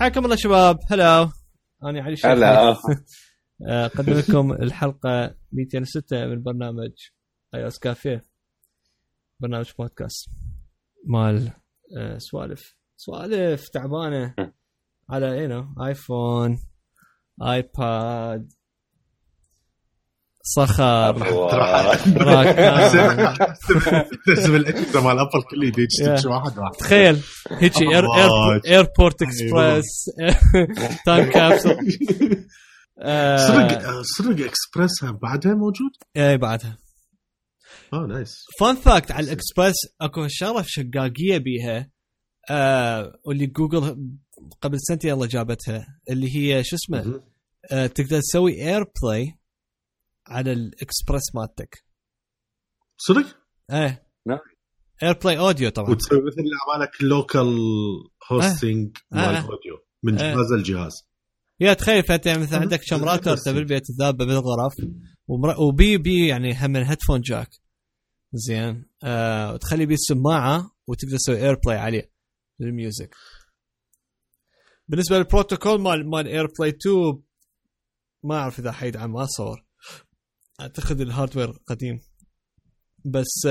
حياكم الله شباب. هلا، أنا علي الشيخ. هلا. أقدم لكم الحلقة 206 من برنامج iOS كافيه، برنامج بودكاست مال سوالف تعبانة على ايفون، ايباد، صخر، تنزل الاكسترا مال ابل كله يدش واحد. تخيل هيجي ايربورت اكسبرس، تايم كابسول. صدق اكسبرس بعدها موجود؟ اي بعدها. نايس. فان فاكت على الاكسبرس، اكو شغله شقاقيه بيها، واللي جوجل قبل سنتين يلا جابتها، اللي هي شو اسمه، تقدر تسوي اير بلاي على الاكسبرس مالتك. صدق؟ ايه نعم. اير بلاي اوديو طبعا، وتسوي مثل اللي عمالك لوكال هوستنج مال اوديو من جهاز الجهاز. يا تخيل فتح مثلا عندك كم راوتر بالبيت ذابه بالغرف، وبي يعني هم هيدفون جاك زين، وتخلي بيه السماعه وتقدر تسوي اير بلاي عليه للميوزك. بالنسبه للبروتوكول مال اير بلاي 2 ما اعرف اذا حيدعم، ما صور، اعتقد الهاردوير قديم، بس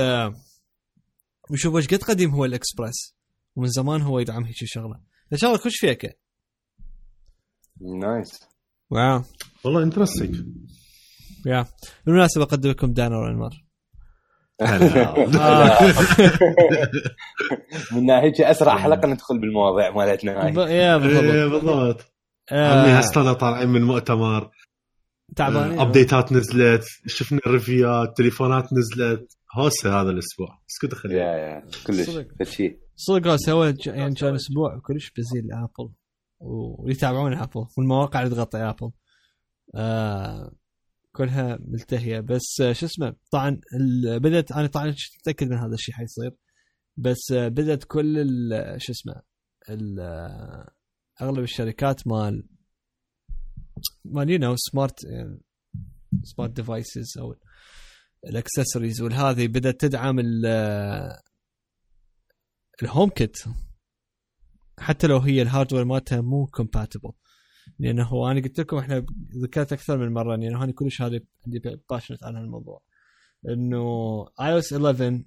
وشوف ايش قد قديم هو الاكسبرس، ومن زمان هو يدعم هيك شغله. ان شاء الله كلش فيك. نايس. واو والله انترستينج. يا بالمناسبه اقدم لكم دانر انمار. من هيك اسرع حلقه ندخل بالمواضيع مالتنا هاي. يا بالضبط. عمي هسه طالعين من مؤتمر تعبانين، ابديتات نزلت، شفنا الريفيوات، تليفونات نزلت هوسه هذا الاسبوع. اسكت خلي يا كلش فشي صدق سوى يعني كان اسبوع كلش بزي الابل ويتابعون ابل والمواقع اللي تغطي ابل كلها ملتهيه. بس شو اسمه، طبعا بدت، انا طبعا متاكد من هذا الشيء حيصير، بس بدت كل شو اسمه اغلب الشركات مال سمارت ديفايسز او الاكسسوارز والهذه بدات تدعم الهوم كيت، حتى لو هي الهاردوير مالتها مو كومباتبل. لانه انا قلت لكم، احنا ذكرت اكثر من مره، لانه انا كلش هذه عندي باشنت عن الموضوع، انه iOS 11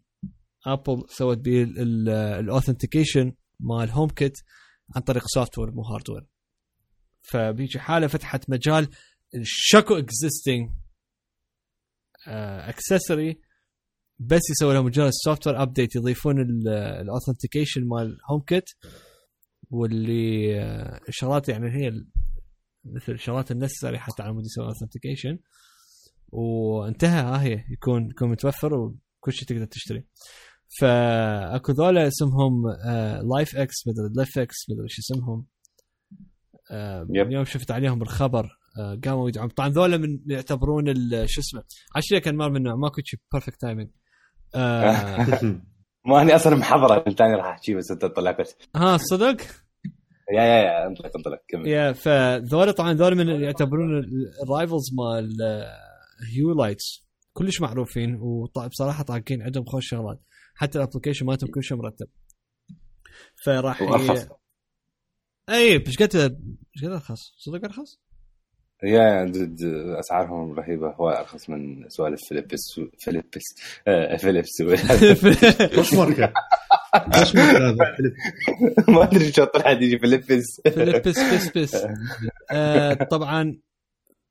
ابل سوت به الاوثنتيكيشن مال هوم كيت عن طريق سوفت وير مو هاردوير. فبيجي حاله فتحت مجال الشكو اكزيستنج اكسسوري، بس يسوي لهم مجال السوفت وير ابديت، يضيفون الاوثنتيكيشن مال هوم كيت، واللي الشغلات يعني هي مثل الشغلات النسري حتى على مود يسوي اوثنتيكيشن، وانتهى. هي يكون متوفر وكل شيء تقدر تشتري. فاكو ذولا اسمهم لايف اكس، مدري ليف اكس، مدري ايش اسمهم. اليوم شفت عليهم بالخبر، قاموا يدعمون. طبعا ذولا من يعتبرون شو اسمه، عشان كان مار منه ماكو شيء بيرفكت تايمينج. ما اني اصلا محضره الثاني راح احكي بس انت طلعت. صدق. يا انطلق كمل. يا فذولا طبعا ذولا من يعتبرون الرايفلز مال هيو لايتس، كلش معروفين، وطبعا بصراحه طاقين عندهم خوش شغلات، حتى الابلكيشن مالتهم كل شيء مرتب. فراح اي مش قد ارخص، صدق ارخص. يا اسعارهم رهيبه، هو ارخص من سوالف فيليبس وش ماركه هذا ما ادري شو طلع يجي فيليبس طبعا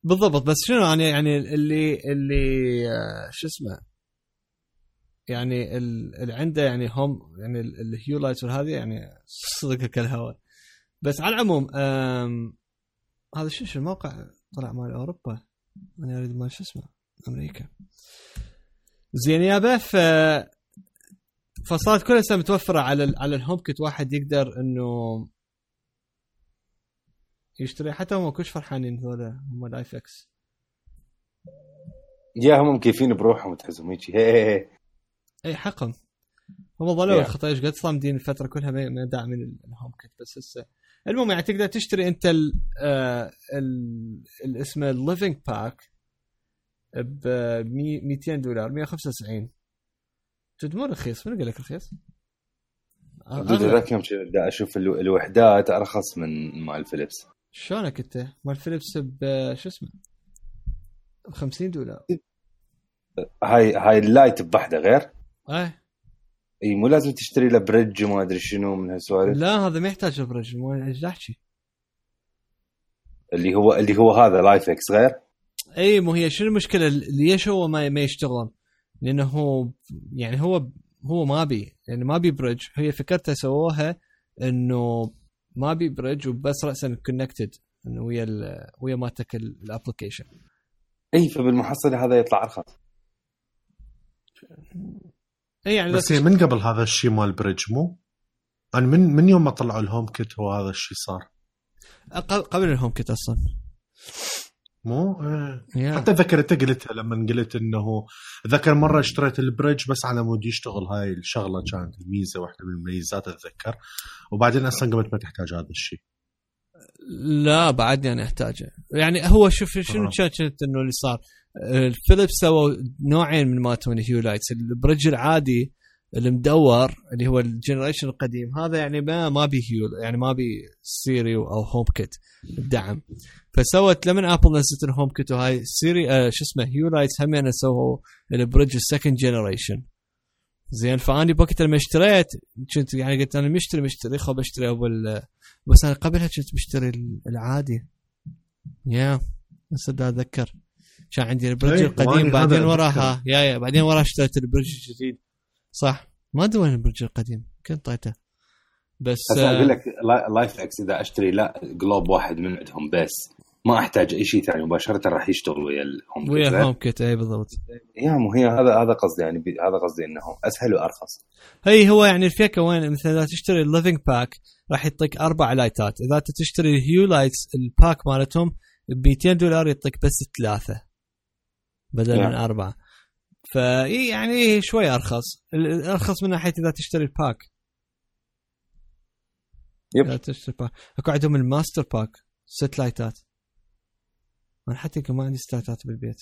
بالضبط. بس شنو يعني اللي شو اسمه، يعني اللي عنده يعني هم يعني الهيو لايتس وهذه يعني صدق كالهواء. بس على العموم هذا شو الموقع طلع مال اوروبا، انا اريد مال شو اسمه امريكا. زين يابا، فصارت كلها متوفره على الهوم كيت، واحد يقدر انه يشتري. حتى هم كلش فرحانين هذول هم لايف اكس. يا هم مكيفين بروحهم تحسهم هيك اي حقهم، هم ظلوا الخطا ايش قد صامدين الفتره كلها ما داعمين الهوم كيت. بس هسه المهم يعني تقدر تشتري انت اسمه الليفينج باك ب $200 $195. تدمر رخيص. من قال لك رخيص؟ ذاك يوم دا اشوف الوحدات ارخص من مال فيليبس. شلونك انت مال فيليبس شو اسمه $50؟ هاي اللايت بوحده غير. اي مو لازم تشتري له بريدج وما ادري شنو من هالسوالف. لا هذا ما يحتاج بريدج، مو ايش احكي اللي هو هذا لايف اكس غير. اي مو هي شنو المشكله؟ ليش هو ما يشتغلون؟ لانه هو يعني هو ما بي يعني ما بي بريدج. هي فكرتها سووها انه ما بي بريدج وبس راسا كونكتد انه ويا مالتك الابلكيشن. اي فبالمحصله هذا يطلع ارخص. اي يعني بس من قبل هذا الشيء مال بريدج مو يعني من يوم ما طلعوا الهوم كيت هو هذا الشيء صار قبل الهوم كيت اصلا مو حتى ذكرت قلتها لما قلت انه ذكر مره اشتريت البريدج بس على مود يشتغل. هاي الشغله كانت الميزه واحده من المميزات اتذكر، وبعدين اصلا قمت ما تحتاج هذا الشيء. لا بعدني انا احتاجه. يعني هو شوف شنو كانت انه اللي صار الفيليبس سووا نوعين من ماتون هيو لايتس. البريدج العادي المدور اللي هو الجنريشن القديم هذا يعني ما بي هيو يعني ما بي سيري او هوم كيت الدعم. فسوت لما ابل نزلت الهوم كيت وهاي سيري شو اسمه هيو لايتس هم يعني سووا البريدج السكند جنريشن زين. فاني بوقت لما اشتريت كنت يعني قلت انا مشتري خو بشتري اول، بس انا قبلها كنت مشتري العادي بس اتذكر كان عندي البريدج القديم بعدين وراها بعدين وراها اشتريت البريدج الجديد صح. ما ادري وين البريدج القديم كنت طايته. بس اقول لك لايف اكس اذا اشتري لا جلوب واحد من عندهم بس ما احتاج اي شيء ثاني مباشره راح يشتغل ويا الهوم كيت. اي بالضبط. مو هي هذا قصدي يعني هذا قصدي انه اسهل وارخص. هو يعني الفكره وين مثلا اذا تشتري الليفينج باك راح يعطيك 4 لايتات. اذا تشتري الهيو لايتس الباك مالتهم $200 يعطيك بس 3 بدل من 4. فيعني شوي ارخص من ناحيه اذا تشتري الباك. يب تشتري باك اكو عندهم الماستر باك 6 لايتات. انا حتى كمان عندي 6 لايتات بالبيت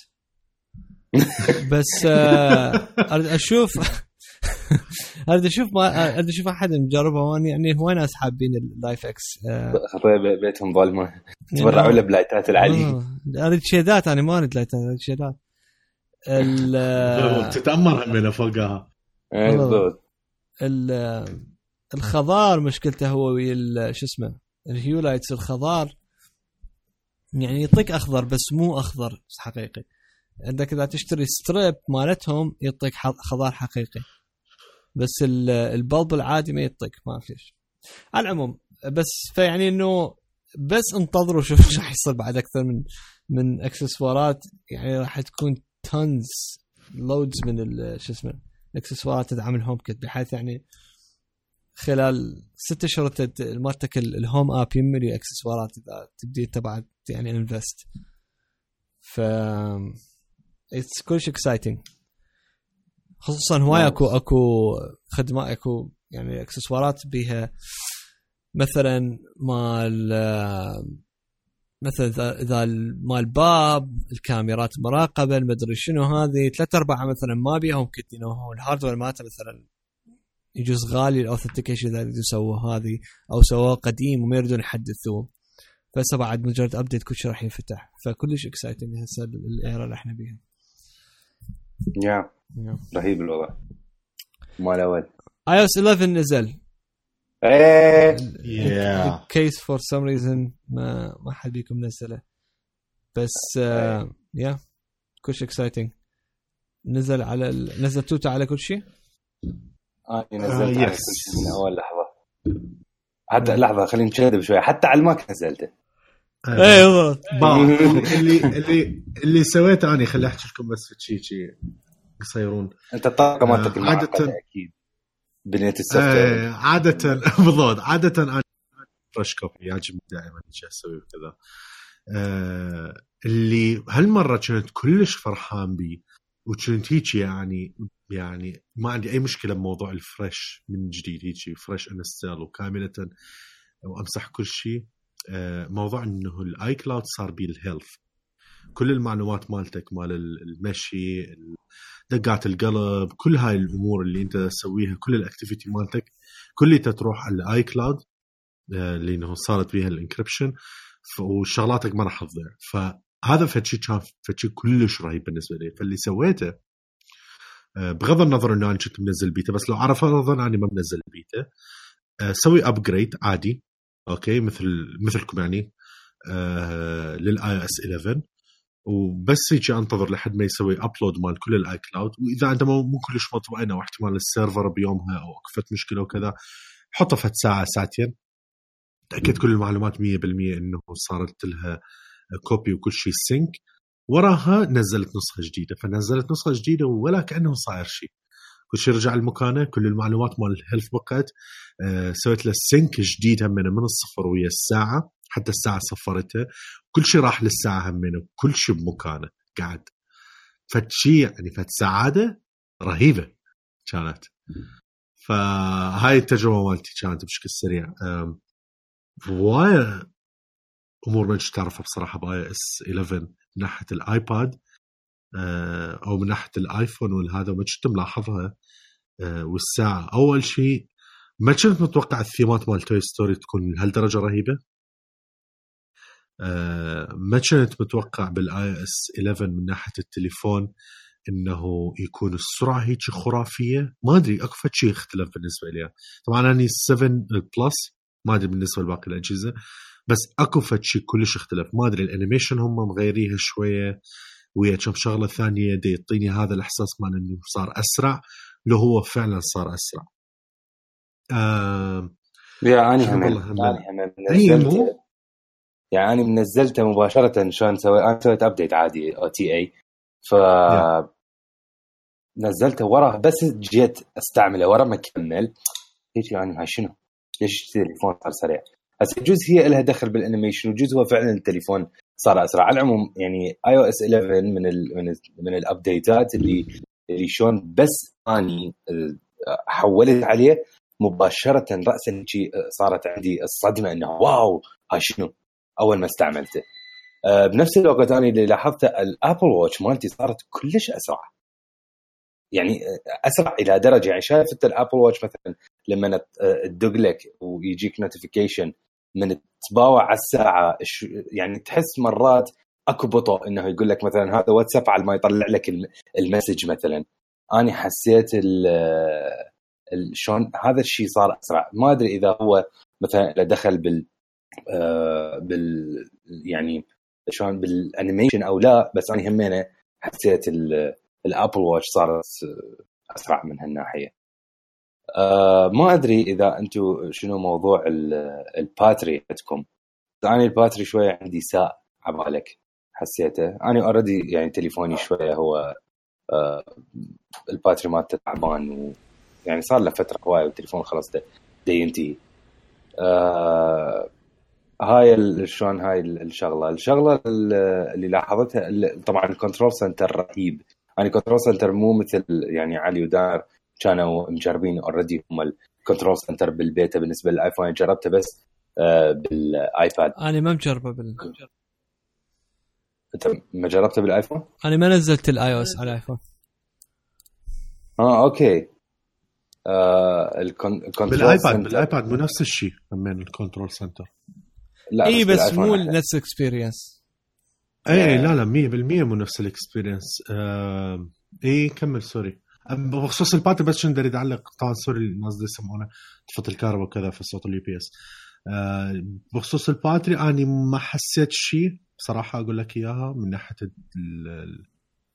بس اريد اشوف احد مجربه وين يعني هو ناس حابين اللايف اكس بيتهم ظلمه تبرعوا له بلايتات العاليه. اريد شيدات انا ما اريد لايتات اريد شيدات تتأمر همنا فوقها. الخضار مشكلته هو شو اسمه الهيو لايتس الخضار يعني يعطيك اخضر بس مو اخضر حقيقي. عندك اذا تشتري ستريب مالتهم يعطيك خضار حقيقي بس البلب العادي ما يعطيك ما في شيء. على العموم بس فيعني انه بس انتظروا شوف ايش راح يصير بعد اكثر من اكسسوارات. يعني راح تكون تونز لودز من شو اسمه الاكسسوارات تدعم الهوم كيت بحيث يعني خلال 6 اشهر مالتك الهوم اب يملي اكسسوارات اذا تبدي تبعت يعني انفست. ف اتس كل شيء اكسايتنج خصوصا هواي اكو خدمات اكو يعني اكسسوارات بيها مثلا مثلا اذا مال باب الكاميرات مراقبه المدري شنو هذه 3/4 مثلا ما بيهم كتير هو الهاردوير مالته مثلا يجوز غالي الاوثنتيكيشن اذا يسووا هذه او سووه قديم وما يريدون يحدثوه. فهسه بعد مجرد ابديت كل شيء راح ينفتح. فكلش اكسايتنج هسه الايرا اللي احنا بيها. رهيب الوضع مال اول iOS 11 نزل. كيس فور سم ريزن ما حد بيكم نزله بس كل شيء اكسايتنج. نزل على نزل توتا على كل شيء. نزلت على كل شيء من اول لحظه. حتى لحظه خلينا نشهد شوي حتى على الماك نزلته. ايوه اللي سويته انا خلي احكي لكم بس في شيء يصيرون. انت الطاقه مالتك المعقده اكيد بنيت السوفت عاده بالضبط. عاده انا فريش كوبي يعجبني دائما ايش اسوي كذا. اللي هالمره كنت كلش فرحان بيه وكنت هيك يعني ما عندي اي مشكله بموضوع الفريش من جديد هيك فريش انستال وكامله وامسح كل شيء. موضوع انه الاي كلاود صار بيه الهيلث. كل المعلومات مالتك، مال المشي، دقات القلب، كل هاي الامور اللي انت تسويها، كل الاكتيفيتي مالتك كلها تروح على الاي كلاود لانه صارت بيها الانكريبشن، وشغلاتك ما راح تضيع. فهذا فشي كان فشي كلش رهيب بالنسبه لي. فاللي سويته بغض النظر انه انا كنت منزل بيتا، بس لو عرف انا اني ما منزل بيتا، سوي ابجريد عادي اوكي مثلكم يعني للاي اس 11، وبس يجي انتظر لحد ما يسوي ابلود مال كل الاي كلاود. واذا انت مو كلش مطمئن او احتمال السيرفر بيومها او اكفت مشكله وكذا، حطه في ساعه ساعتين، تاكد كل المعلومات 100% انه صارت لها كوبي وكل شيء سينك. وراها نزلت نسخه جديده، فنزلت نسخه جديده ولا كانه صاير شيء، كل شيء رجع لمكانه، كل المعلومات مال الهيلث بقت. سويت له سينك جديد همينه من الصفر ويا الساعه، حتى الساعه صفرتها، كل شيء راح للساعه همينه، كل شيء بمكانه قاعد. فشي يعني سعاده رهيبه كانت. فهاي التجربه مالتي كانت بشكل سريع. وايد امور ما تعرفها بصراحه باي اس 11 من ناحيه الايباد او من ناحيه الايفون والهذا، ما كنت ملاحظها. والساعه اول شيء ما كنت متوقع الثيمات مال توي ستوري تكون لهالدرجه رهيبه. ما كنت متوقع بالاي اس 11 من ناحيه التليفون انه يكون السرعه هيك خرافيه. ما ادري اكو شيء اختلف بالنسبه لي. طبعا اني 7 بلس، ما ادري بالنسبه لباقي الاجهزه، بس اكو شيء كلش اختلف. ما ادري الانيميشن هم مغيريها شويه ويا كم شغله ثانيه دي يعطيني هذا الاحساس مال انه صار اسرع، لو هو فعلا صار اسرع. يعني يعني منزلته مباشره. شلون انا سويت ابديت عادي او تي اي، ف نزلته وراه، بس جيت استعمله ورا ما كمل هيك. يعني هاي شنو؟ ليش التليفون صار سريع؟ هسه جزء هي لها دخل بالانيميشن، وجزء هو فعلا التليفون صار اسرع. على العموم يعني اي او اس 11 من الابديتات اللي شلون بس اني حولت عليه مباشره راسا صارت عندي الصدمه انه واو هاي شنو اول ما استعملته. بنفس الوقت انا اللي لاحظته الابل واتش مالتي صارت كلش اسرع، يعني اسرع الى درجه يعني شايف الابل واتش مثلا لما تدق لك ويجيك نوتيفيكيشن من تباوع على الساعه، يعني تحس مرات اكو بطء انه يقول لك مثلا هذا واتساب على ما يطلع لك المسج مثلا. انا حسيت شلون هذا الشيء صار اسرع. ما ادري اذا هو مثلا دخل بال يعني شلون بالانيميشن او لا، بس انا همينه حسيت الابل واتش صارت اسرع من هالناحيه. ما ادري اذا انتم شنو موضوع الباتري عندكم. يعني الباتري شويه عندي ساء عبالك حسيته. انا اوريدي يعني تليفوني شويه هو الباتري مالته تعبان، يعني صار له فتره هوايه والتليفون خلاص ده ينتهي. هاي شلون هاي الشغله اللي لاحظتها طبعا الكنترول سنتر رهيب. يعني الكنترول سنتر مو مثل يعني علي ودار كانوا مجربين اوريدي هم الكنترول سنتر بالبيتا. بالنسبه للايفون جربته بس بالايباد. انا ما مجربه انت ما جربته بالايفون؟ انا ما نزلت الاي او اس على الايفون. اوكي. بالايباد مو نفس الشيء من الكنترول سنتر. لا اي بس مو نفس الاكسبيرينس. اي لا 100% مو نفس الاكسبيرينس. اي كمل سوري. بخصوص الباتري بس شنو اريد اعلق طبعا سوري الناس دي يسمونه طفت الكهرباء وكذا في صوت اليو بي اس. بخصوص الباتري اني ما حسيت شيء بصراحه اقول لك اياها من ناحيه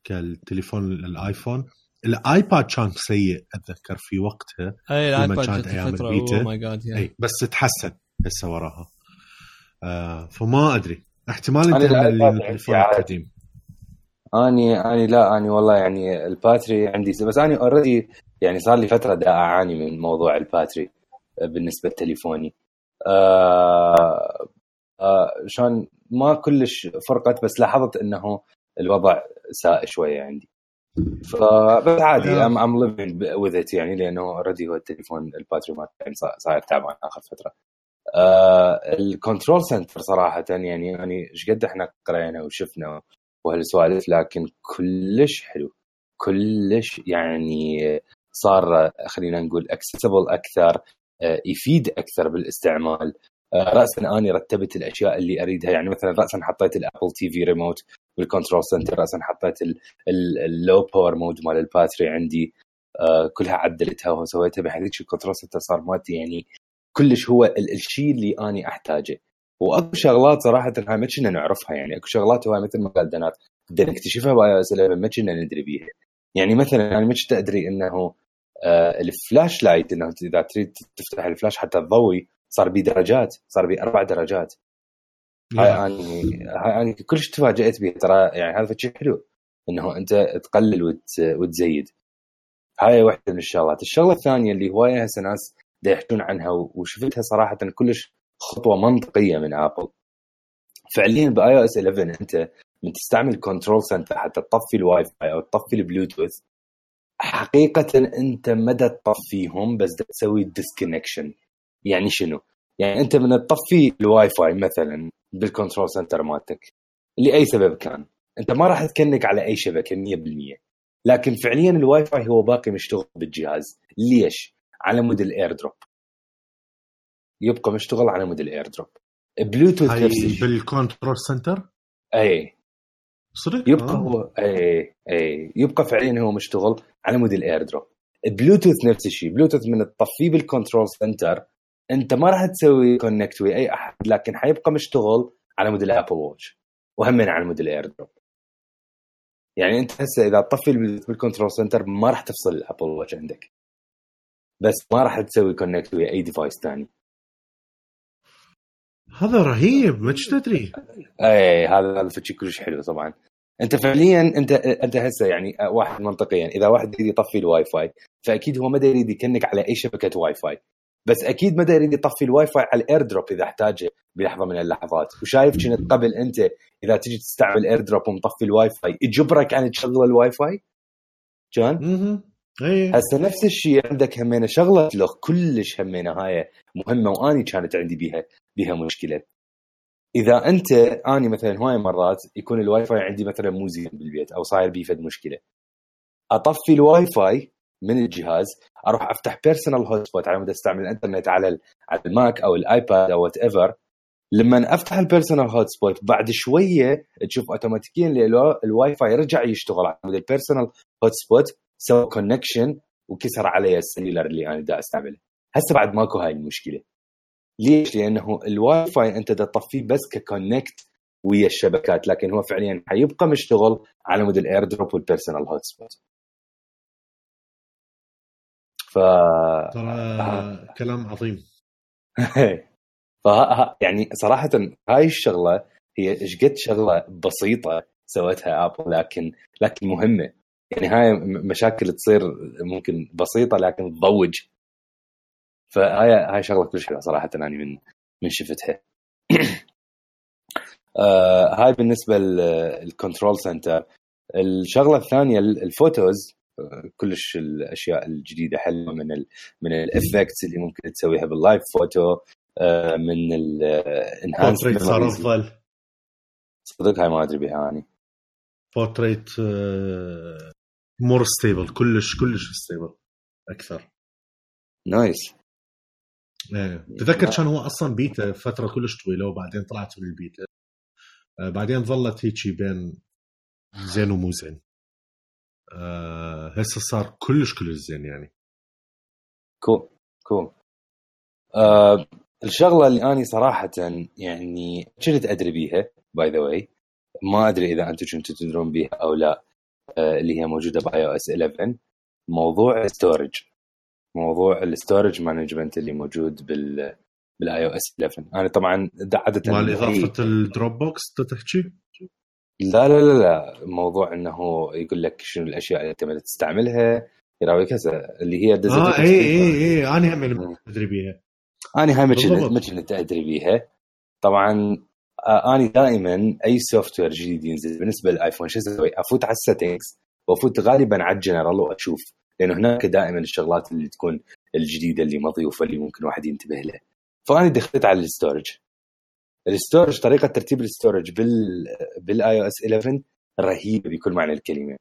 كالتليفون الايفون. الايباد كان سيء اتذكر في وقتها. اي الايباد كانت فتره او ماي جاد اي بس تحسن هسه وراها. فما ادري احتمال انت التليفون القديم. اني لا اني والله يعني الباتري عندي بس اني اوريدي يعني صار لي فتره دا اعاني من موضوع الباتري بالنسبه لتليفوني. شلون ما كلش فرقت، بس لاحظت انه الوضع ساء شويه عندي. فبس عادي I'm living with it يعني، لانه اوريدي هو التليفون الباتري ما يعني صاير تعبان اخر فتره. الكنترول سنتر صراحه يعني ايش قد احنا قرينا وشفنا وهالسوالف، لكن كلش حلو، كلش يعني صار خلينا نقول accessible أكثر، يفيد أكثر بالاستعمال. رأسا أنا رتبت الأشياء اللي أريدها، يعني مثلا رأسا حطيت الأبل تي في ريموت بالكنترول سنتر، رأسا حطيت اللو باور مود مال الباتري عندي، كلها عدلتها وسويتها بحيث الكنترول سنتر صار مالتي يعني كلش هو الشيء اللي أنا أحتاجه. واكو شغلات صراحه هاي ما كنا نعرفها، يعني اكو شغلات هو مثل ما قال دنات بدنا نكتشفها باي اس 11 ما كنا ندري بيها. يعني مثلا انا ما كنت ادري انه الفلاش لايت، انه اذا تريد تفتح الفلاش حتى تضوي صار بيه درجات، صار بيه 4 درجات. هاي انا كلش تفاجأت بيه ترى، يعني هذا شيء حلو انه انت تقلل وتزيد. هاي واحده من الشغلات. الشغله الثانيه اللي هوايه هسه ناس دا يحكون عنها وشفتها صراحه كلش خطوه منطقيه من ابل فعليا باي او اس 11. انت من تستعمل كنترول سنتر حتى تطفي الواي فاي او تطفي البلوتوث، حقيقه انت مدى تطفيهم بس تسوي ديسكونكشن. يعني شنو؟ يعني انت من تطفي الواي فاي مثلا بالكنترول سنتر مالتك لاي سبب كان، انت ما راح تكنك على اي شبكه 100%، لكن فعليا الواي فاي هو باقي مشتغل بالجهاز. ليش؟ على مود الاير دروب، يبقى مشتغل على مود الاير دروب. بلوتوث نفسه بالكنترول سنتر اي صدق يبقى هو اي يبقى فعليا هو مشتغل على مود الاير دروب. بلوتوث نفس الشيء، بلوتوث من التطفيه بالكنترول سنتر انت ما راح تسوي كونكت ويا اي احد، لكن حيبقى مشتغل على مود الابل واتش وهم على مود الاير دروب. يعني انت هسه اذا تطفي بالكنترول سنتر ما راح تفصل الابل واتش عندك، بس ما راح تسوي كونكت ويا اي ديفايس ثاني. هذا رهيب، ما تدري. اي هذا شيء كلش حلو. طبعا انت فعليا انت هسه يعني واحد منطقيا اذا واحد يريد يطفي الواي فاي فاكيد هو ما يريد يكنك على اي شبكه واي فاي، بس اكيد ما يريد يطفي الواي فاي على الاير دروب اذا احتاجه بلحظه من اللحظات. وشايف كنت قبل انت اذا تجي تستعمل اير دروب ومطفي الواي فاي يجبرك ان تشغل الواي فاي كان. هسه نفس الشيء عندك همينه شغله لو كلش همينه هاي مهمه واني كانت عندي بيها مشكله. اذا انت اني مثلا هواي مرات يكون الواي فاي عندي مثلا مو زين بالبيت او صاير بيه فد مشكله، اطفي الواي فاي من الجهاز، اروح افتح بيرسونال هوت سبوت على مود استعمل الانترنت على الماك او الايباد او وات ايفر. لما افتح البيرسونال هوت سبوت بعد شويه تشوف اوتوماتيكيا الواي فاي رجع يشتغل على مود البيرسونال هوت سبوت، سوى كونكشن وكسر علي السيلولر اللي انا دا استعمله. هسه بعد ماكو هاي المشكله. ليش؟ لانه الواي فاي انت تطفيه بس ككونكت ويا الشبكات، لكن هو فعليا حيبقى مشتغل على مود الاير دروب والبيرسونال هوت سبوت. ترى كلام عظيم. يعني صراحه هاي الشغله هي ايش قد شغله بسيطه سوتها ابل لكن مهمه. يعني هاي مشاكل تصير ممكن بسيطه لكن تضوج. فهاي شغله كل شيء صراحه انا من شفتها. هاي بالنسبه للكنترول سنتر. الشغله الثانيه الفوتوز، كلش الاشياء الجديده حلوه من الافكتس اللي ممكن تسويها باللايف فوتو، من الانهانسمنت صار افضل. صدق هاي ما ادري بها اني. بورتريت مور ستيبل، كلش ستيبل اكثر. نايس. تذكر كان هو اصلا بيتا فتره كلش طويله وبعدين طلعت من البيتا، بعدين ظلت هيك بين زين ومو زين. هسه صار كلش زين يعني. كول. الشغله اللي اني صراحه يعني كنت ادري بيها باي ذا واي، ما ادري اذا انتم كنتوا تدرون بيها او لا، اللي هي موجوده باي او اس 11، موضوع الستورج، موضوع الستورج مانجمنت اللي موجود بالاي او اس 11. انا طبعا عاده مع اضافه الدروب بوكس تحكي لا موضوع انه يقول لك شنو الاشياء اللي انت تستعملها، يراويك هسه اللي هي اي انا هم ادري بيها. انا هاي ما كنت ادري بيها طبعا. انا دائما اي سوفت وير جديد ينزل بالنسبه للايفون شو اسوي؟ افوت على السيتنجز وافوت غالبا على الجنرال واشوف، لانه هناك دائما الشغلات اللي تكون الجديده اللي مضيوفه اللي ممكن واحد ينتبه لها. فانا دخلت على الستورج. طريقه ترتيب الستورج بالاي او اس 11 رهيبه بكل معنى الكلمه.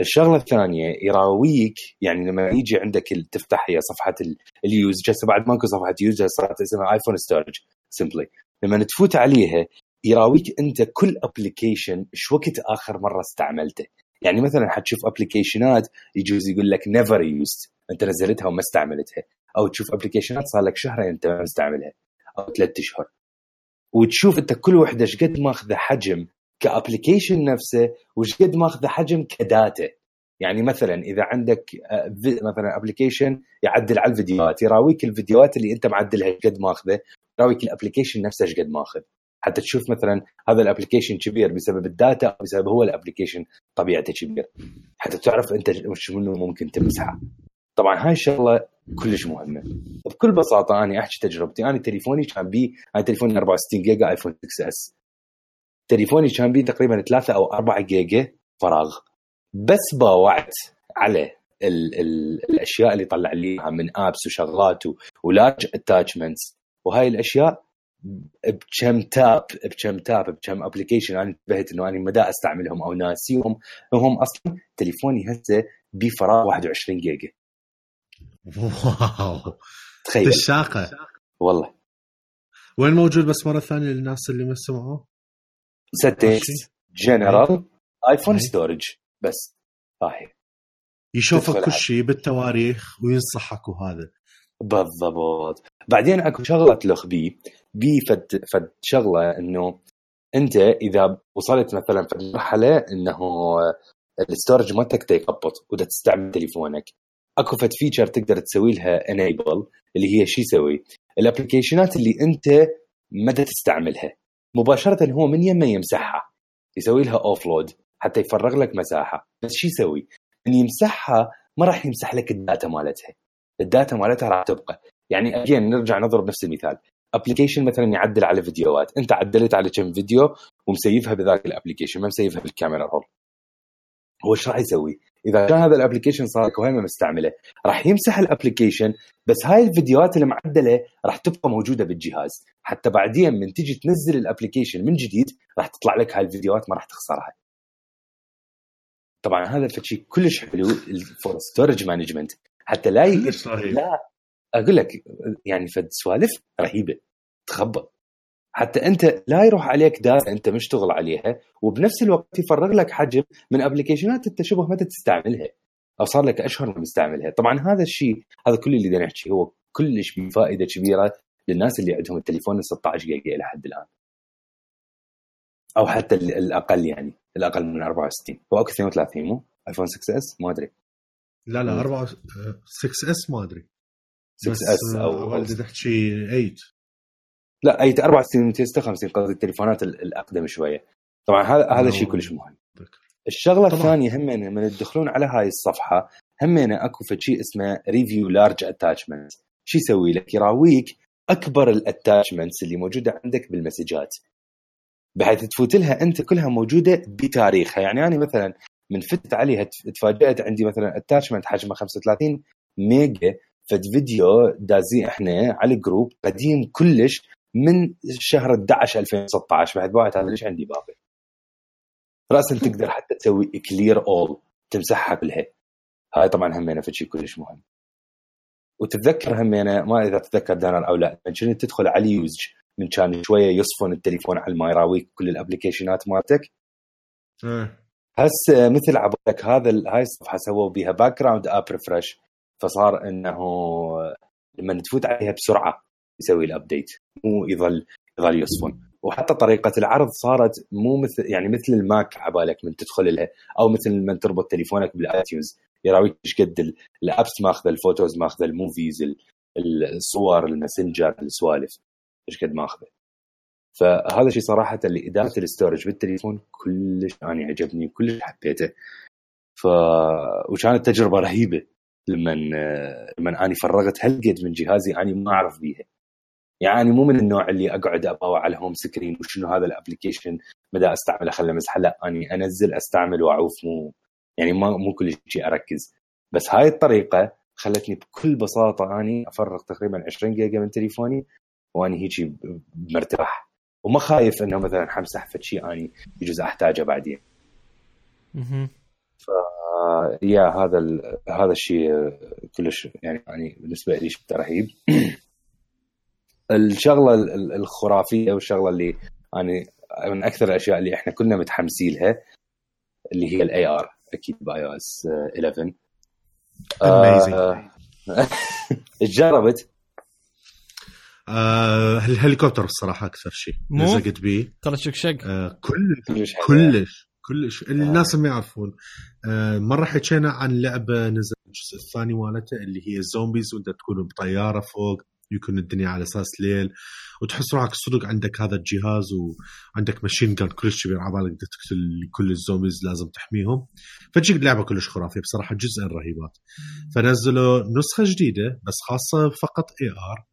الشغله الثانيه يراويك، يعني لما يجي عندك تفتح هي صفحه اليوز، جالسه بعد ماكو صفحه يوز صارت اسمها ايفون ستورج سمبلي، لما تفوت عليها يراويك انت كل ابلكيشن شو وقت اخر مره استعملته. يعني مثلا حتشوف ابلكيشنات يجوز يقول لك نيفر يوزد، انت نزلتها وما استعملتها، او تشوف ابلكيشنات صار لك شهرين انت ما مستعملها او 3 اشهر، وتشوف انت كل وحده ايش قد ماخذه حجم كابلكيشن نفسه وايش قد ماخذه حجم كداتا. يعني مثلا اذا عندك مثلا ابلكيشن يعدل على الفيديوهات، يراويك الفيديوهات اللي انت معدلها ايش قد ماخذه، يراويك الابلكيشن نفسه ايش قد ماخذ، حتى تشوف مثلا هذا الابلكيشن كبير بسبب الداتا او بسبب هو الابلكيشن طبيعته كبير، حتى تعرف انت وش منه ممكن تمسحه. طبعا هاي الشغله كلش مهمه. بكل بساطه انا احكي تجربتي، انا تليفوني كان بي، انا تليفوني 64 جيجا ايفون 6 اس، تليفوني كان بي تقريبا 3 أو 4 جيجا فراغ، بس باوعت على الاشياء اللي طلع لي من ابس وشغلات ولارج اتاتشمنتس وهاي الاشياء بكم تاب بكم ابلكيشن انا انتبهت انه انا مدى استعملهم او ناسيهم، هم اصلا تليفوني هسه بفراغ 21 جيجا. واو تخيل الشاقه والله. وين موجود بس مره ثانيه للناس اللي ما سمعوه؟ ستيكس جنرال ايفون ستورج بس هاي يشوفك كل شيء بالتواريخ وينصحك، وهذا بالضبط. بعدين اكو شغله تلخ بي فد شغله انه انت اذا وصلت مثلا في المرحله انه الستورج مالتك يقبض ودا تستعمل تليفونك، اكو فد فيتشر تقدر تسوي لها انيبل، اللي هي شي يسوي الابلكيشنات اللي انت متى تستعملها مباشره هو من يمه يمسحها، يسوي لها اوفلود حتى يفرغ لك مساحه. بس شي يسوي ان يمسحها ما راح يمسح لك الداتا مالتها، الداتا مالتها راح تبقى. يعني اجين نرجع نضرب نفس المثال، ابلكيشن مثلا يعدل على فيديوهات، انت عدلت على كم فيديو ومسيفها بذاك الابلكيشن ما مسيفها بالكاميرا رول، هو ايش راح يسوي؟ اذا كان هذا الابلكيشن صار لك وهي ما مستعمله راح يمسح الابلكيشن، بس هاي الفيديوهات اللي معدله راح تبقى موجوده بالجهاز، حتى بعدين من تيجي تنزل الابلكيشن من جديد راح تطلع لك هاي الفيديوهات ما راح تخسرها. طبعا هذا الشيء كلش حلو فور ستورج مانجمنت، حتى لا اقول لك يعني فد سوالف رهيبه تخبط، حتى انت لا يروح عليك داتا انت مشتغل عليها، وبنفس الوقت يفرغ لك حجم من ابلكيشنات انت شبه ما تستعملها او صار لك اشهر ما مستعملها. طبعا هذا الشيء هذا كل اللي بدنا نحكي هو كلش بفائده كبيره للناس اللي عندهم التليفون 16 جيجا الى حد الان، او حتى الاقل، يعني الاقل من 64 هو اكو 32 مو ايفون 6 اس ما ادري. لا 4 6 اس ما ادري 6 اس او والدي تحكي 8 لا 64 256 قصدي التليفونات الاقدم شويه. طبعا هذا شيء كلش مهم. الشغله الثانيه هم من تدخلون على هاي الصفحه هم اكو شيء اسمه ريفيو لارج اتاتشمنت. شو يسوي لك؟ يراويك اكبر الاتاتشمنتس اللي موجوده عندك بالمسجات، بحيث تفوت لها انت كلها موجوده بتاريخها. يعني انا مثلا من فتت عليها تفاجأت عندي مثلا اتاتشمنت حجمه 35 ميجا فد فيديو دازي احنا على الجروب قديم كلش من شهر 11 2016 بعد وقت هذا ليش عندي باقي راسا تقدر حتى تسوي كلير اول تمسحها كلها. هاي طبعا همينه فشي كلش مهم. وتتذكر همينه ما اذا تتذكر دانا او لا كنت تدخل على يوزج من كان شويه يصفن التليفون على ما يراويك كل الابلكيشنات مالتك. هسه مثل عبالك هاي الصفحه سووا بيها باك جراوند اب ريفرش، فصار انه لما تفوت عليها بسرعه يسوي الابديت مو يظل يصفن. وحتى طريقه العرض صارت مو مثل الماك عبالك من تدخل لها، او مثل من تربط تليفونك بالايتيونز يراويك ايش قد الابس ماخذه، الفوتوز ماخذه، الموفيز، الصور، الماسنجر، السوالف ايش قد ماخذه. فهذا شيء صراحه اللي اداره الاستورج بالتليفون كلش انا عجبني وكلش حبيته. وكانت تجربه رهيبه لما اني فرغت هالقد من جهازي اني ما اعرف بيها. يعني مو من النوع اللي اقعد اباوع على الهوم سكرين وشنو هذا الابلكيشن مدى استعمله خله مسح، لا اني انزل استعمل واعوف، مو كل شيء اركز. بس هاي الطريقه خلتني بكل بساطه اني افرغ تقريبا 20 جيجا من تليفوني واني هيجي مرتاح وما خايف انه مثلا حمسح فشي اني يجوز احتاجه بعدين. يا هذا الشيء كلش يعني بالنسبه لي شيء رهيب. الشغله الخرافيه والشغله اللي يعني من اكثر الاشياء اللي احنا كنا متحمسين لها اللي هي الاي ار اكيد باي او اس 11. جربت الهليكوبتر الصراحه اكثر شيء لزقت بيه ترى شق كلش الناس ما يعرفون. مره حكينا عن لعبه نزل الجزء الثاني مالتها اللي هي الزومبيز، وانت تكون بطياره فوق يكون الدنيا على اساس ليل وتحس روحك صدق عندك هذا الجهاز وعندك ماشين جان كلش كبير على بالك تقتل كل الزومبيز لازم تحميهم. فجيك لعبه كلش خرافيه بصراحه، جزء الرهيبات. فنزلوا نسخه جديده بس خاصه فقط اي ار.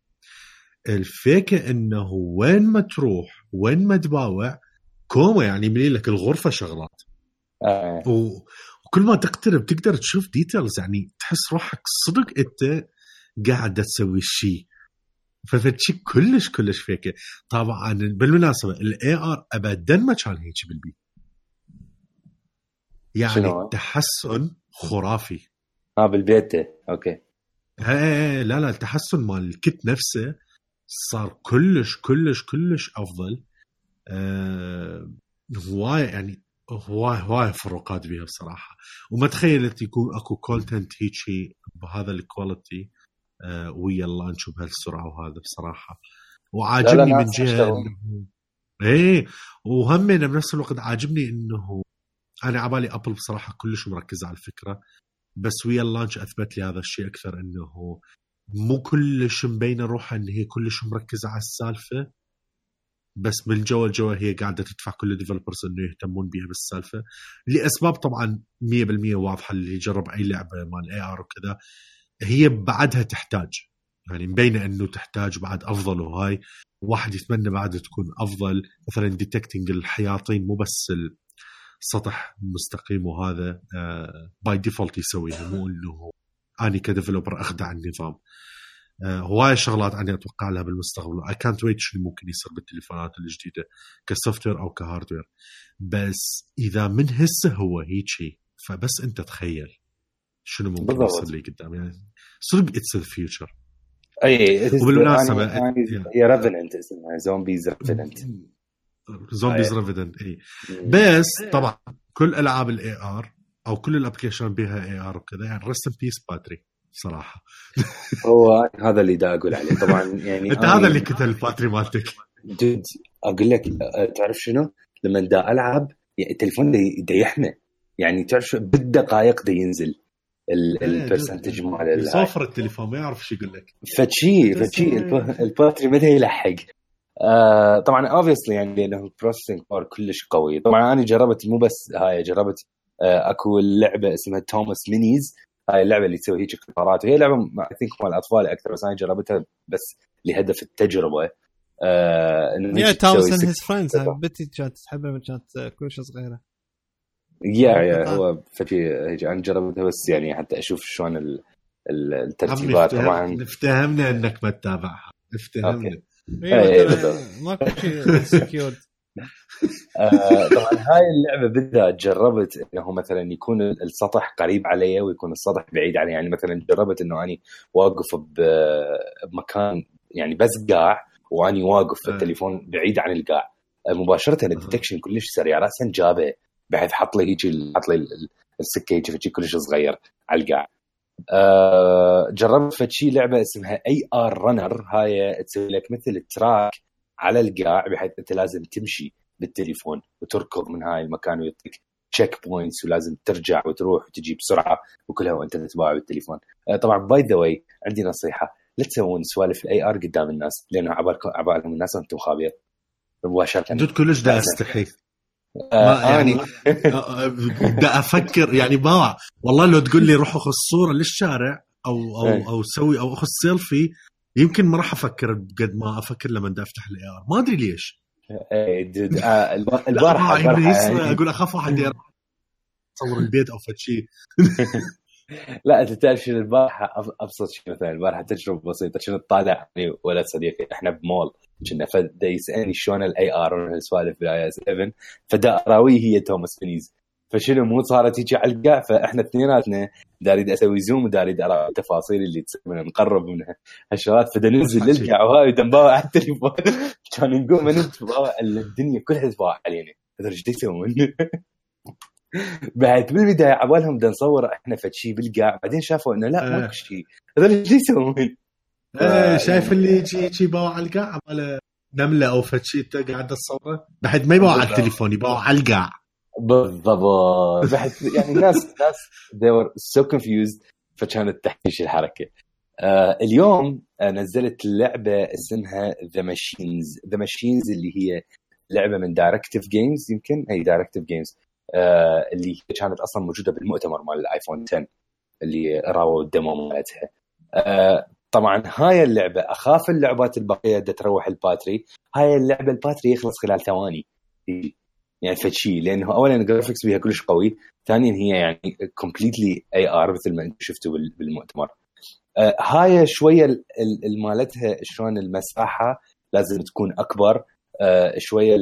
الفكره انه وين ما تروح وين ما تباوع كوما، يعني ملي لك الغرفه شغلات وكل ما تقترب تقدر تشوف ديتيلز، يعني تحس روحك صدق انت قاعد تسوي شيء. ففتشي كلش فيك. طبعا بالمناسبه الاي ار ابدا ما كان هيك بالبي، يعني تحسن خرافي. بالبيت اوكي. لا التحسن مال الكت نفسه صار كلش افضل. هواي يعني هواي فروقات بيها بصراحه، وما تخيلت يكون اكو كونتنت هيك بهذا الكواليتي ويا اللانش وبهالسرعه وهذا بصراحه. وعاجبني من جهه وهم بنفس الوقت عاجبني انه انا عبالي ابل بصراحه كلش مركزه على الفكره، بس ويا اللانش اثبت لي هذا الشيء اكثر، انه مو كلش مبينه روحها ان هي كلش مركزه على السالفه، بس من جوا هي قاعده تدفع كل الديفلوبرز انه يهتمون بها بالسالفه لاسباب طبعا 100% واضحه. اللي يجرب اي لعبه مال اي ار وكذا هي بعدها تحتاج، يعني مبينه انه تحتاج بعد افضل، وهاي واحد يتمنى بعد تكون افضل. مثلا ديتكتنج الحياطين مو بس السطح مستقيم، وهذا باي ديفولت يسويه، مو انه اني كديفلوبر اخدع النظام. هواي شغلات أنا أتوقع لها بالمستقبل. I can't wait شو ممكن يصير بالتليفونات الجديدة كسوفتوير أو كهاردوير. بس إذا من هسه هو هيك فبس أنت تخيل شنو ممكن يصير لي قدام، يعني صدق it's the future. أي وبالمناسبة هي ريفننت اسمها زومبيز ريفننت أي. بس طبعا كل ألعاب الاي ار أو كل الابليكيشن بها اي ار وكذا يعني رست ان بيس باتري صراحة. هو هذا اللي دا أقول عليه طبعا. يعني أنت هذا اللي كتل الباتري مالتك دود. أقول لك تعرف شنو لما دا ألعب يعني التليفون دا يحمى، يعني تعرف بالدقائق دا ينزل البرسنتج مال صفر التليفون ما يعرف شو يقول لك. فتشي الباتري متى يلحق. طبعا obviously يعني لأنه البروسيسنج باور كلش قوي. طبعا أنا جربت مو بس هاي، جربت أكو اللعبة اسمها توماس مينيز. هاي اللعبة اللي تسوي هيك اختبارات، وهي لعبة I think مال الأطفال أكثر، بس أنا جربتها بس لهدف التجربة. يا توماس and his friends بنتي كانت تحبها من كانت كلش صغيرة. يا هو فشي هيك أنا جربتها بس يعني حتى أشوف شلون الترتيبات. طبعا افتهمنا إنك ما تتابعها، افتهمنا. ماكو شيء سكيورد. طبعا هاي اللعبة بالذات جربت انه مثلا يكون السطح قريب علي ويكون السطح بعيد علي. يعني مثلا جربت انه اني واقف بمكان يعني بس قاع، واني واقف في التليفون بعيد عن القاع مباشرة الديتكشن كلش سريع راسا جابه، بحيث حط لي السكة هيك كلش صغير على القاع. جربت فتشي لعبة اسمها اي ار رنر. هاي تسوي لك مثل تراك على القاع بحيث انت لازم تمشي بالتليفون وتركض من هاي المكان ويعطيك تشيك بوينتس ولازم ترجع وتروح وتجي بسرعة وكلها وانت تتباع بالتليفون. طبعا باي ذا واي عندي نصيحة، لا تسوون سوالف الاي ار قدام الناس، لانه عبالكم الناس انتم خابير مباشرة. جد كلش دا استحي يعني دا افكر يعني باع والله لو تقول لي روح اخذ صورة للشارع او سوي او اخذ سيلفي يمكن ما راح افكر قد ما افكر لما دا افتح الاي ار. ما ادري ليش. البارحة اقول اخاف واحد يصور البيت او فشي. لا انت تعرف شنو البارحة ابسط شيء؟ مثلا البارحة تجربة بسيطة، شنو طالع يعني ولد صديقي احنا بمول كنا، فدا يسالني شلون الاي ار والسوالف باي اس 7، فدا اراويه هي توماس مينيز، فشنو مو صارت هيك علقه. فاحنا اثنيناتنا داريد اسوي زوم وداريد ارى التفاصيل اللي تصير نقرب منها هالشغلات. فدننزل للقع وهاي تنباوع على التليفون كان نقوم نتباوع الدنيا كلها تتباوع علينا. هذا ايش يسوون؟ بعد بالبدايه عبالهم بدنا نصور احنا فشي بالقاع، بعدين شافوا انه لا ماكو شيء، هذا ايش يسوون؟ شايف اللي يجي باوع على القاع على نمله او فشي انت قاعد تصوره بعد ما يباوع على التليفون يباوع على القاع بالضبط. بعد يعني الناس they were so confused فكانت تحكيش الحركه. اليوم نزلت لعبه اسمها The Machines اللي هي لعبه من Directive Games، يمكن اي Directive Games اللي كانت اصلا موجوده بالمؤتمر مال الايفون 10 اللي راوا الديمو مالتها. طبعا هاي اللعبه اخاف اللعبات البقيه بدها تروح الباتري، هاي اللعبه الباتري يخلص خلال ثواني يعني فشي، لانه اولا الجرافيكس بيها كلش قوي، ثانيا هي يعني كومبليتلي اي ار مثل ما انت شفتوا بالمؤتمر. هاي شويه المالتها شلون المساحه لازم تكون اكبر، شويه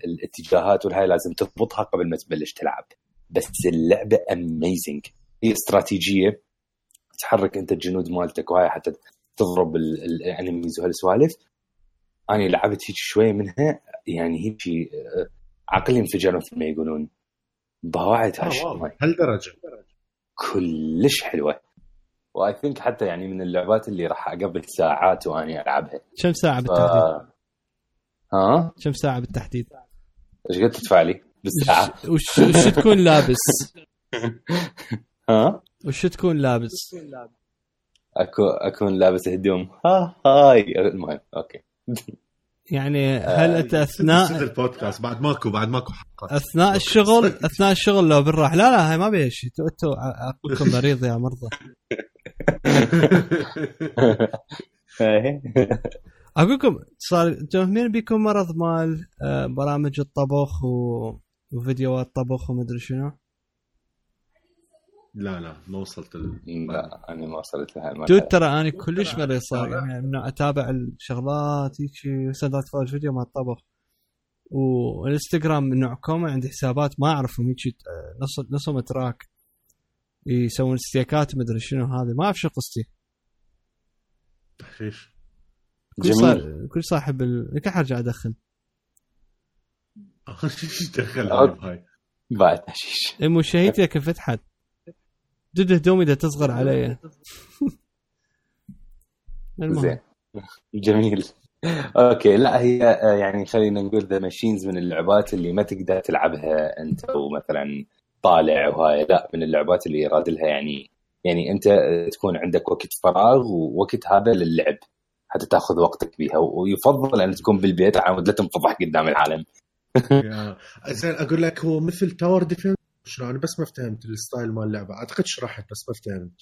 الاتجاهات والهاي لازم تضبطها قبل ما تبلش تلعب. بس اللعبه اميزنج، هي استراتيجيه تحرك انت الجنود مالتك وهاي حتى تضرب الانميز وهالسوالف. انا لعبت هيك شويه منها يعني هيك عقلي انفجر مثل ما يقولون، بواعد هالدرجه كلش حلوه. واي ثينك حتى يعني من اللعبات اللي راح اقضي ساعات وانا العبها. كم ساعه بالتحديد؟ كم ساعه بالتحديد؟ ايش قد تدفع لي بالساعه؟ وش تكون لابس؟ وش تكون لابس؟ اكون لابس هدوم هاي المهم اوكي. يعني هل انت اثناء البودكاست بعد ماكو حلقه اثناء الشغل لو بالراح؟ لا هاي ما بيها شيء، انتوا اقولكم مريض يا مرضى. اقولكم صار تفهمين بيكم مرض مال برامج الطبخ وفيديوهات طبخ ومدري شنو. لا ما وصلت لا انا ما وصلت لها. دود ترى انا كلش مريض صار يعني انه اتابع الشغلات هيك سندات فوق فيديو مال الطبخ، والانستغرام نوع كومه عندي حسابات ما اعرفهم هيك نصهم تراك يسوون ستيكات ومدري شنو. هذه ما اعرف شو قصتي. تحشيش كل صاحب النكاح ارجع ادخن. ايش دخل هاي بعد تحشيش مو شهيتي كيف فتحت دود هدومي ده تصغر علي. زين جميل اوكي. لا هي يعني خلينا نقول ذا ماشينز من اللعبات اللي ما تقدر تلعبها انت ومثلا طالع وهاي، لا من اللعبات اللي يراد لها يعني انت تكون عندك وقت فراغ ووقت هذا للعب حتى تاخذ وقتك بيها، ويفضل ان تكون بالبيت عشان لا تنفضح قدام العالم. زين اقول لك هو مثل تاور ديفنس شنو؟ انا بس ما فهمت الستايل مال اللعبه، اعتقد شرحت بس ما فهمت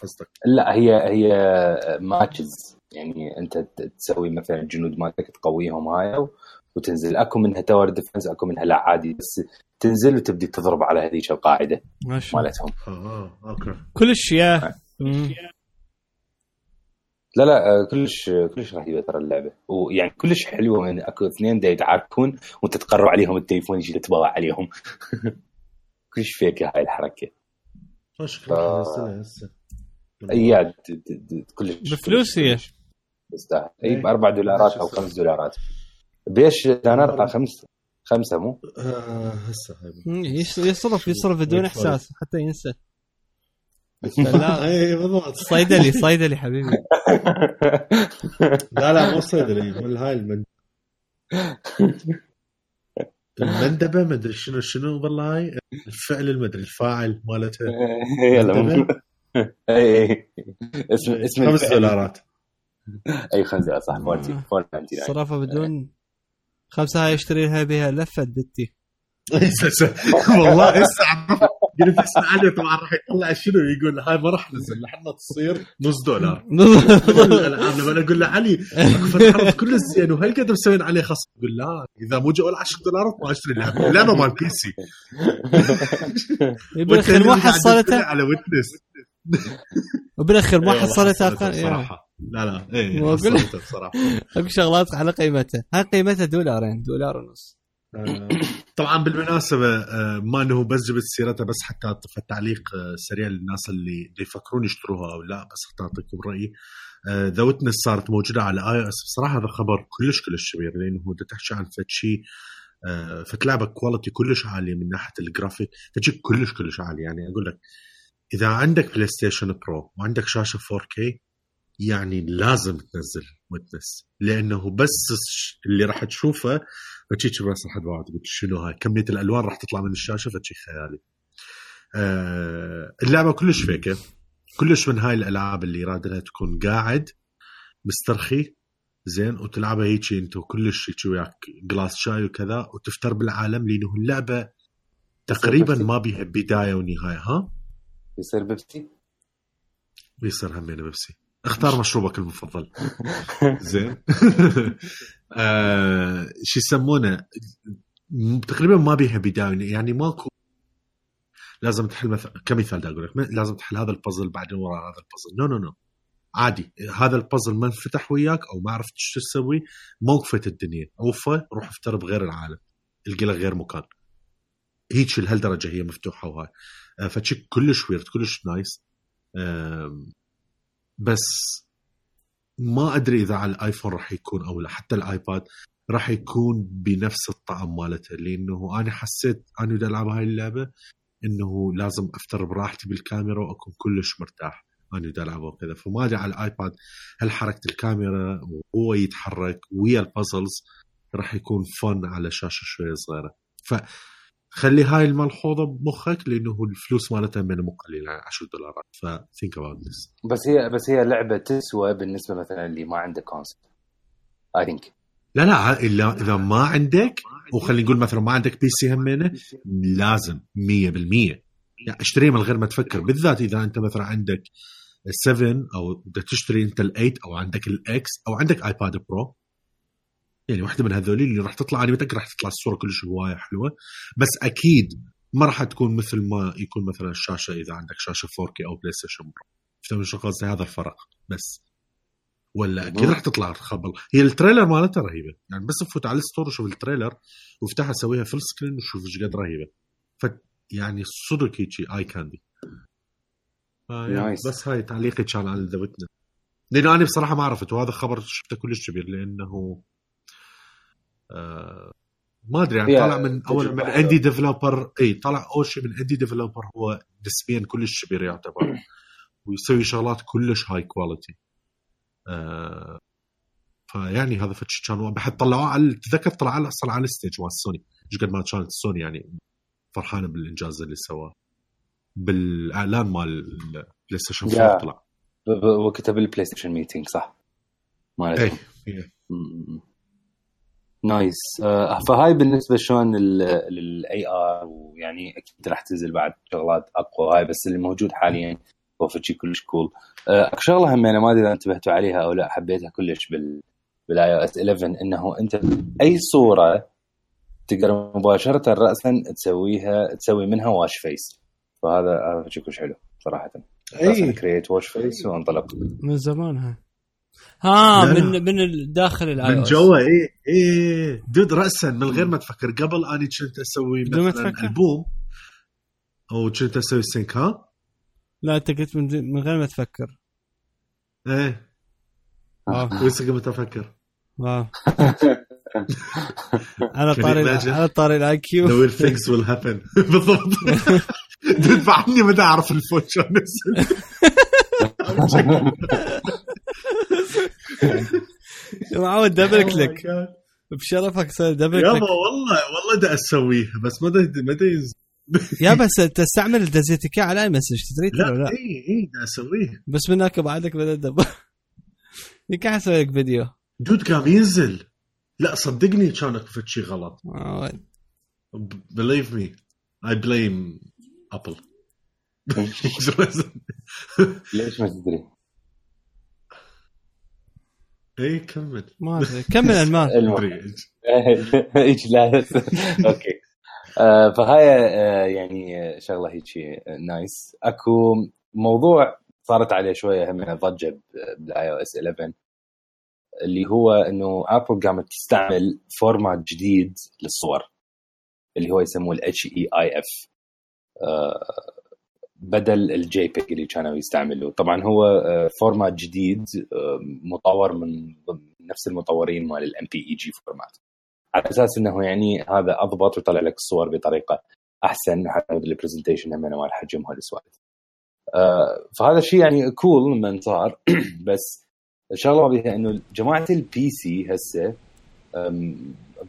قصدك. لا هي ماتشز، يعني انت تسوي مثلا جنود مالتك تقويهم هاي وتنزل. اكو منها تاور ديفنس اكو منها لا عادي، بس تنزل وتبدي تضرب على هذيك القاعده مالتهم. اوكي كلش يا لا كلش رهيبه ترى اللعبه، ويعني كلش حلوه. يعني اكو اثنين دا يتعاركون وانت تقرب عليهم التليفون يجي تتباوع عليهم. كلش فيك هاي الحركه. شكرا اياد كلش بفلوس هي تستاهل. اي $4 او $5 بيش دينار 5 مو هسه يصرف بدون احساس حتى ينسى. لا اي بالضبط صيدلي حبيبي. لا مو صيدلي، من هاي المندبه ما ادري شنو والله هاي الفعل المدري الفاعل مالتها. يلا اي اسم $5. اي $5 صح. 4.99 صرفه بدون 5 هاي اشتري لها بها لفه بنتي. والله هسه قلت اسمع عليه طبعا راح يطلع شنو يقول هاي ما راح نزل لحنا تصير $0. الالعاب لما اقول له علي اكو فتحه كل زين وهل قدر مسوين عليه خصم، يقول لا اذا مو جو $10 ما اشتري اللعبه مال بي سي. بالاخير ما حصلتها على ويتنس، وبالاخير ما حصلتها صراحه. لا ايه حصلتها بصراحه. اكو شغلات على قيمتها، هاي قيمتها $2 $1.50. طبعا بالمناسبة ما انه بس جبت سيرتها بس حتى تعليق سريع للناس اللي يفكرون يشتروها او لا، بس حتى اعطيكم رأيي. ذا ويتنس صارت موجودة على iOS. بصراحة هذا خبر كلش كبير، لانه هو تحكي عن فتشي فتلعبة كواليتي كلش عالية من ناحية الجرافيك، فتشي كلش عالي. يعني اقول لك اذا عندك بلاي ستيشن برو وعندك شاشة 4K يعني لازم تنزل ويتنس، لانه بس اللي راح تشوفه فتشي براس الحد واحد. قلت شنو هاي كمية الالوان راح تطلع من الشاشة، فتشي خيالي. اللعبة كلش فيكة، كلش من هاي الالعاب اللي يراد لها تكون قاعد مسترخي زين وتلعبها هيك انتو كلش هيك وياك جلاس شاي وكذا وتفتر بالعالم، لانه اللعبة تقريبا ما بيها بداية ونهاية. ها يصير بيبسي، بيصير همين بيبسي. اختار مشروبك المفضل. زين. شو يسمونه، تقريبا ما بيها بداية، يعني ماكو لازم تحل كمثال دا اقول لك لازم تحل هذا البازل بعدين وراء هذا البازل. نو عادي، هذا البازل ما انفتح وياك او ما عرفت شو تسوي، موقفة الدنيا اوفى، روح افتر بغير العالم، القى لك غير مكان. هيك لهالدرجة هي مفتوحة وهاي فتشي كلش ويرد كلش نايس. بس ما أدري إذا على الآيفون راح يكون أو لا، حتى الآيباد راح يكون بنفس الطعم مالته، لأنه أنا حسيت أنا بدي ألعب هاي اللعبة إنه لازم أفتر براحتي بالكاميرا وأكون كلش مرتاح أنا بدي ألعبه وكذا. فما أدري على الآيباد هل حركة الكاميرا وهو يتحرك ويا البازلز راح يكون فن على شاشة شوية صغيرة. خلي هاي الملحوظة بمخك، لأنه الفلوس مالتها من مقللة $10. think about this. بس هي لعبة تسوى بالنسبة مثلا اللي ما عنده كونسول I think. لا إلا إذا ما عندك، وخلي نقول مثلا ما عندك بي سي همينة، لازم 100% يعني اشتريه من غير ما تفكر، بالذات إذا أنت مثلا عندك 7 أو بدك تشتري أنت 8 أو عندك الإكس أو عندك آيباد برو، يعني واحدة من هذولي اللي راح تطلع، أنا متأكد راح تطلع الصورة كلش هواية حلوة، بس أكيد ما راح تكون مثل ما يكون مثلا الشاشة إذا عندك شاشة 4K أو بلاي ستيشن برو. فهمت شو قصدي؟ هذا الفرق بس. ولا أكيد راح تطلع خبل. هي التريلر مالتها رهيبة، يعني بس فوت على الستور وشوف التريلر وافتحها سويها فل سكرين وشوف ايش قد رهيبة. يعني صدق هيجي آي كاندي. بس هاي تعليقي كان على ذا ويتنس، لأنه أنا بصراحة ما عرفت، وهذا خبر شفته كلش كبير، لأنه ما أدري يعني طالع من أول من اندي ديفلوبر. طالع أول شيء من اندي ديفلوبر هو نسبيا كلش كبير يعتبر، ويسوي شغلات كلش هاي كواليتي. فيعني هذا فتش كانوا بحد طلعوه على تذكر طلع على أصلا على الستيج مال سوني، إيش قد ما كانت سوني يعني فرحانة بالإنجاز اللي سواه بالإعلان مال بلاي ستيشن 4. طلع وكتب البلاي ستيشن ميتينج صح مالته. نايس. فهاي بالنسبة شلون للأي آر، ويعني أكيد راح تنزل بعد شغلات أقوى هاي، بس اللي موجود حاليا هو فشي كلش كول. شغلة هم أنا ما أدري إذا انتبهتوا عليها أو لا، حبيتها كلش بالiOS 11 إنه أنت أي صورة تقدر مباشرة رأسا تسوي منها واش فيس، فهذا فشي كلش حلو صراحة. كرييت واش فيس وانطلق من زمانها. من الداخل الاي من جوا. دود رأسا من غير ما تفكر. قبل أنا كنت أسوي مثلا ألبوم أو كنت أسوي سينك. لا أنت قلت من غير ما تفكر. ويسك ما تفكر. أنا طاري الآي كيو. The things will happen. بالضبط. دود بعدني ما أعرف الفوتشر نفسه. معود دبل كليك بشرفك، صار دبل كليك. والله دا أسويه بس ما يا بس تستعمل الدزيتيكا على مسج تدري ولا لا؟ اي دا أسويه بس منك بعدك بدأ دب. يكح أسوي لك فيديو دود قام ينزل. لا صدقني كانت في شيء غلط. Believe me I blame Apple. ليش ما تدري؟ كمل. ما أدري كمل المال. إيش لا. أوكي. فهاي يعني شغلة هيك نايس. أكو موضوع صارت عليه شوية هم ضجة بالiOS 11 اللي هو إنه أبل قامت تستعمل فورمات جديد للصور. اللي هو يسموه HEIF بدل الجي بيج اللي كانوا يستعملوه. طبعا هو فورمات جديد مطور من نفس المطورين مال الMPEG فورمات، على اساس انه يعني هذا اضبط ويطلع لك الصور بطريقه احسن حتى البرزنتيشن هم نوع الحجم هالسوالف. فهذا الشيء يعني كول من صار. بس الشغله بها انه جماعه البي سي هسه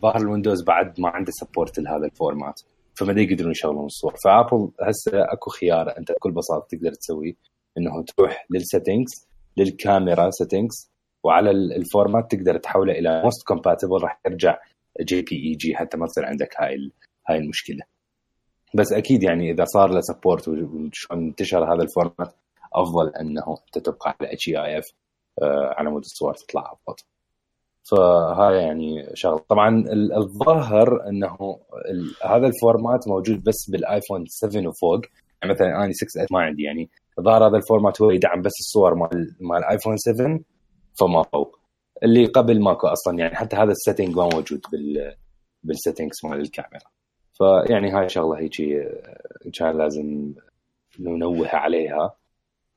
ظاهر الويندوز بعد ما عنده سبورت لهذا الفورمات، فما يقدرون يشغلون الصور. فابل هسه اكو خيار انت بكل بساطه تقدر تسوي انه تروح للسيتنجز للكاميرا سيتنجز، وعلى الفورمات تقدر تحوله الى موست كومباتبل، راح ترجع JPEG حتى ما تصير عندك هاي المشكله. بس اكيد يعني اذا صار له سبورت وانتشر هذا الفورمات افضل انه انت تبقى على HEIF على مود الصور تطلع افضل. فهاي يعني شغله. طبعا الظاهر انه هذا الفورمات موجود بس بالايفون 7 وفوق، يعني مثلا اني 6 ما عندي، يعني ظاهر هذا الفورمات هو يدعم بس الصور مال ايفون 7 فما فوق، اللي قبل ماكو اصلا، يعني حتى هذا السيتنج ما موجود بالسيتنجز مال الكاميرا. فيعني هاي شغله هيك كان لازم ننوه عليها.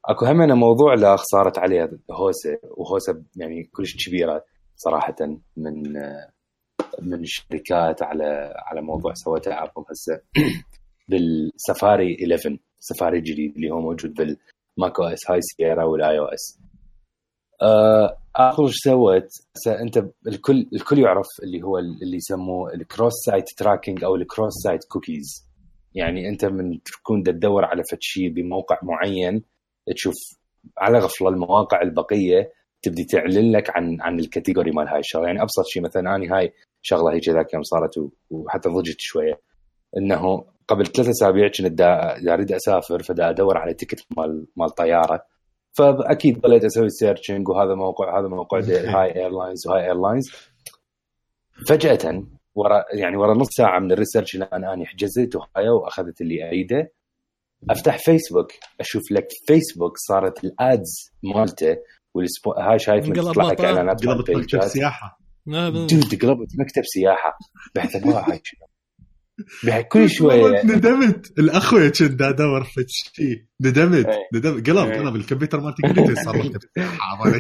اكو همنا موضوع لا صارت عليها هوسه يعني كلش كبيره صراحه من الشركات على موضوع سوتها ابل هسه بالسفاري 11 سفاري جديد اللي هو موجود بالماك او اس هاي سييرا والاي او اس. ابل سوت انت الكل يعرف اللي هو اللي يسموه الكروس سايت تراكنج او الكروس سايت كوكيز. يعني انت من تكون تدور على شيء بموقع معين تشوف على غفله المواقع البقيه تبدي تعلن لك عن الكاتيجوري مال هاي الشغله. يعني ابسط شيء مثلا اني هاي شغله هيك ذاك يوم صارت وحتى ضجت شويه، انه قبل 3 أسابيع كنت اريد اسافر فدا ادور على تيكت مال طياره، فاكيد ضليت اسوي سيرشنج وهذا موقع هاي ايرلاينز وهاي ايرلاينز. فجاه ورا نص ساعه من الريسيرش اللي انا حجزت وهاي واخذت اللي اريده، افتح فيسبوك اشوف لك فيسبوك صارت الادز مالته هاي شايف من تطلع لك اعلانات قلبت مكتب سياحه قلبت مكتب سياحه بحث ما هاي بحكي كل شويه. ندمت الاخويا كنت ادور في شيء ندمت قلب الكمبيوتر مالتي قلت صار مكتب سياحه.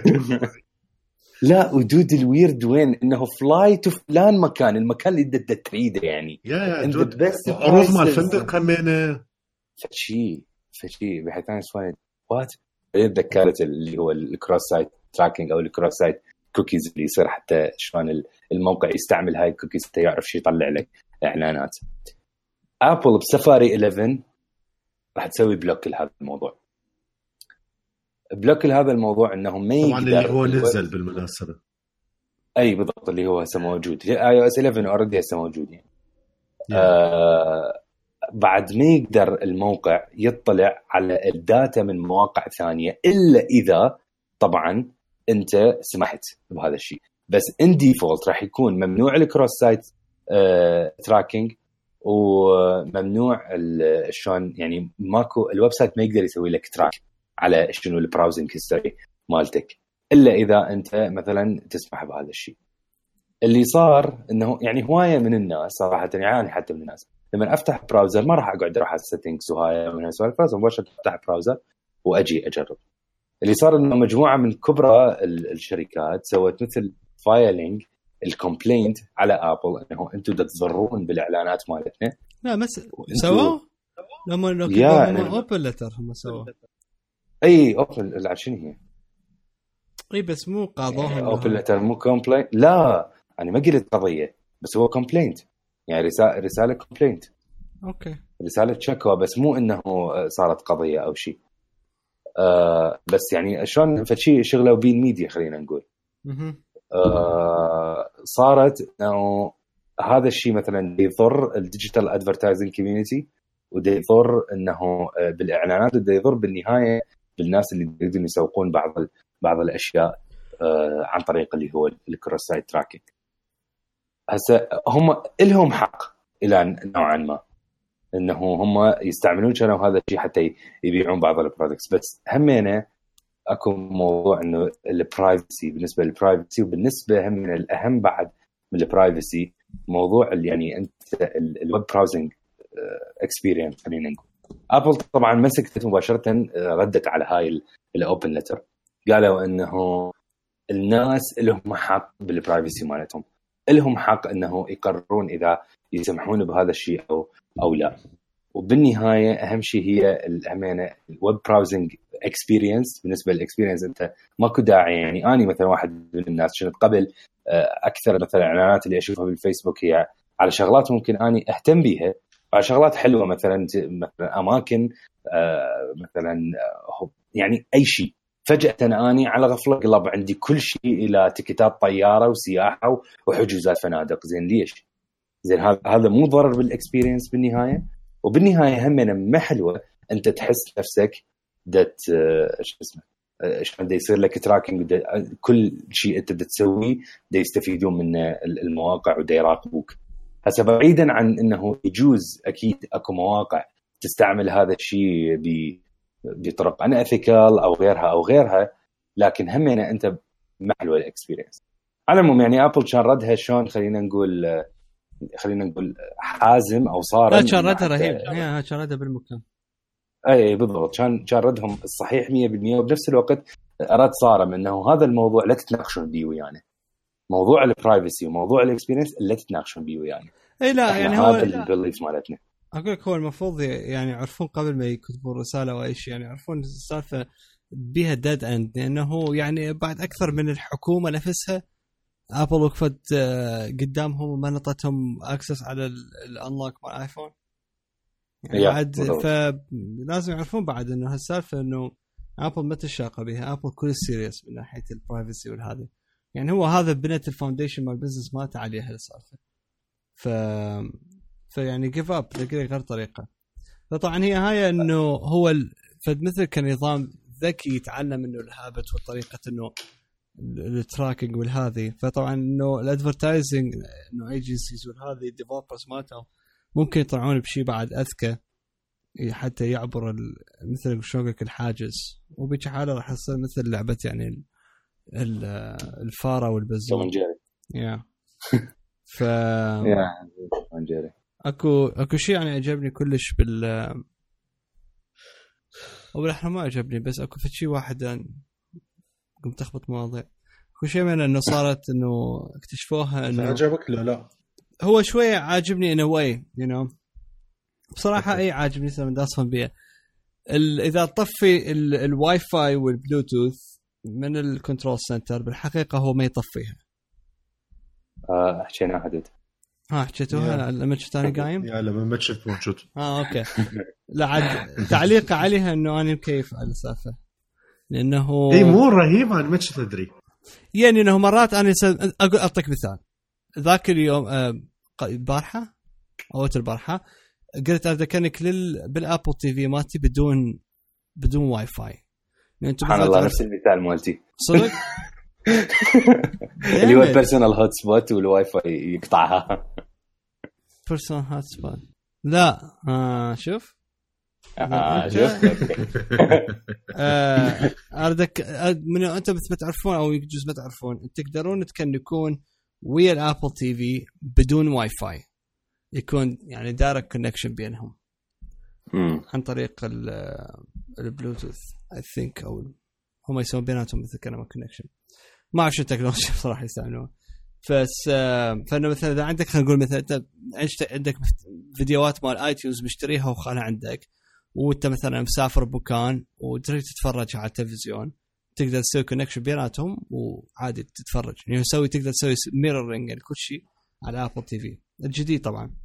لا ودود الويرد وين انه فلاي تو فلان مكان المكان اللي انت تريده، يعني انت بس عروض مال فندق كمينه فشي بحيث انا سويت وات ذكرت اللي هو الكروس سايت تراكنج او الكروس سايت كوكيز اللي يصير حتى شلون الموقع يستعمل هاي الكوكيز حتى يعرف شو يطلع لك اعلانات. ابل بسفاري 11 راح تسوي بلوك لهذا الموضوع. بلوك لهذا الموضوع انه ما يقدر طبعا اللي هو نزل بالمناسبه اي بالضبط اللي هو هسه موجود اي او اس 11 اوريدي هسه موجود يعني. بعد ما يقدر الموقع يطلع على الداتا من مواقع ثانيه الا اذا طبعا انت سمحت بهذا الشيء. بس ان ديفولت راح يكون ممنوع الكروس سايت تراكنج وممنوع شلون يعني ماكو الويب سايت ما يقدر يسوي لك تراك على شنو البراوزنج هيستوري مالتك الا اذا انت مثلا تسمح بهذا الشيء. اللي صار انه يعني هوايه من الناس صراحه يعني حتى من الناس لما افتح براوزر ما راح اقعد اروح على السيتنجز وهاي من هالسوالف، مباشره افتح براوزر واجي اجرب. اللي صار انه مجموعه من كبرى الشركات سوت مثل فايلينج الكومبلينت على ابل انه انتم تضرون بالاعلانات مالتنا. لا بس سووا لما كانوا اوبن لتر هم سووا اي اوبن شنو هي اي بس مو قاضوهم اوبن لتر مو كومبلينت. لا انا ما قلت قضيه بس هو كومبلينت يعني رساله كومبلينت اوكي رساله شكوى بس مو انه صارت قضيه او شيء. بس يعني شلون فشي شغله بين ميديا خلينا نقول. صارت انه هذا الشيء مثلا يضر الديجيتال ادفرتايزنج كوميونتي وده يضر انه بالاعلانات وده يضر بالنهايه بالناس اللي يقدرون يسوقون بعض الاشياء عن طريق اللي هو الكروس سايت تراكنج. هسه هم لهم حق الى نوعا ما انه هم يستعملون كانوا هذا الشيء حتى يبيعون بعض البرودكتس. بس همينه اكو موضوع انه البرايفسي بالنسبه للبرايفسي وبالنسبه هم من الاهم بعد من البرايفسي موضوع اللي يعني انت الويب براوزنج اكسبيرينس. خلينا نقول ابل طبعا مسكت مباشره، ردت على هاي الاوبن لتر، قالوا انه الناس لهم حق بالبرايفسي مالتهم، لهم حق انه يقررون اذا يسمحون بهذا الشيء او لا. وبالنهايه اهم شيء هي الامانه الويب براوزنج اكسبيرينس. بالنسبه للاكسبيرينس انت ماكو داعي، يعني اني مثلا واحد من الناس كنت قبل اكثر مثلا الاعلانات اللي اشوفها بالفيسبوك هي على شغلات ممكن اني اهتم بيها، على شغلات حلوه مثلا اماكن مثلا يعني اي شيء. فجاه اني على غفله قلب عندي كل شيء الى تيكيتات طياره وسياحه وحجوزات فنادق. زين ليش؟ زين هذا مو ضرر بالاكسبيرينس بالنهايه. وبالنهايه هم ما حلوه انت تحس نفسك دت ايش اسمه شلون دا يصير لك تراكنج، كل شيء انت تسويه دا يستفيدون منه المواقع ودا يراقبوك. هسه بعيدا عن انه يجوز اكيد اكو مواقع تستعمل هذا الشيء بطرق ان اثيكال او غيرها، لكن همنا انت محلو الاكسبيرينس. على العموم يعني ابل كان ردها شلون خلينا نقول حازم او صارم. لا كان ردها رهيب، كان ردها بالمكان. اي بالضبط، كان ردهم الصحيح 100%. وبنفس الوقت رد صارم انه هذا الموضوع لا تتناقشون بيه ويانا، موضوع البرايفسي وموضوع الاكسبيرينس لا تتناقشون بيه ويانا. اي لا يعني هو البيليف مالتنا. اقول لك هو المفروض يعني يعرفون قبل ما يكتبوا الرساله او اي شيء، يعني يعرفون السالفه بيها ديد اند، لانه يعني بعد اكثر من الحكومه نفسها ابل وقفت قدامهم وما نطتهم اكسس على الانلوك مال ايفون يعني بعد. فلازم يعرفون بعد انه هالسالفه انه ابل ما تشاقه بها، ابل كل سيريس من ناحيه البرايفسي والهذه. يعني هو هذا بنت الفاونديشن مال البزنس مالته عليها السالفه. فيعني جيف اب غير طريقه. فطبعا هي هاي انه هو فمثل كنظام ذكي يتعلم منه الهابت وطريقه انه التراكنج والهذه. فطبعا انه الادفرتايزنج انه ايجنسيز والهذه الديفلوبرز مالتهم ممكن يطلعون بشيء بعد اذكى حتى يعبر مثل شوقك الحاجز. وبيجي حاله راح يصير مثل لعبه يعني الفاره والبزون. يا ف اكو شيء يعني عجبني كلش او احنا ما عجبني، بس اكو شيء واحد قمت اخبط مواضيع. اكو شيء من انه صارت انه اكتشفوها انه عجبك لا هو شويه عاجبني انه واي بصراحه اي عاجبني من داصفن بيه. اذا طفي الواي فاي والبلوتوث من الكنترول سنتر بالحقيقه هو ما يطفيها. حكينا حدد حكيتوها لما كنت انا قايم يا لما ما كنت موجود. اوكي. لا عاد تعليق عليها انه انا مكيف على السالفه لانه اي مو رهيب. انا ما كنت ادري يعني انه مرات انا اقول اعطيك مثال. ذاك اليوم البارحه او البارحه قلت اذكرنك بالابل تي في مالتي بدون واي فاي. سبحان الله نفس المثال مالتي صدق. اللي هو بيرسونال هوت سبوت والواي فاي يقطعها. بيرسونال هوت سبوت لا شوف شوف اردك من انت ما تعرفون او يجوز ما تعرفون تقدرون تكنكون ويا الابل تي في بدون واي فاي، يكون يعني دايركت كونكشن بينهم عن طريق البلوتوث اي ثينك، او هم يسوون بيناتهم مثل كلمه كونكشن. ما اعرف شو التكنولوجيا بصراحه يستعملوها. بس فانه مثلا اذا عندك خلينا نقول مثلا انت عندك فيديوهات مال ايتونز مشتريها وخانها عندك، وانت مثلا مسافر بمكان وتريد تتفرج على التلفزيون، تقدر تسوي كونكشن بيناتهم وعادي تتفرج. يعني تقدر تسوي ميرورينج لكل شيء على ابل تي في الجديد طبعا.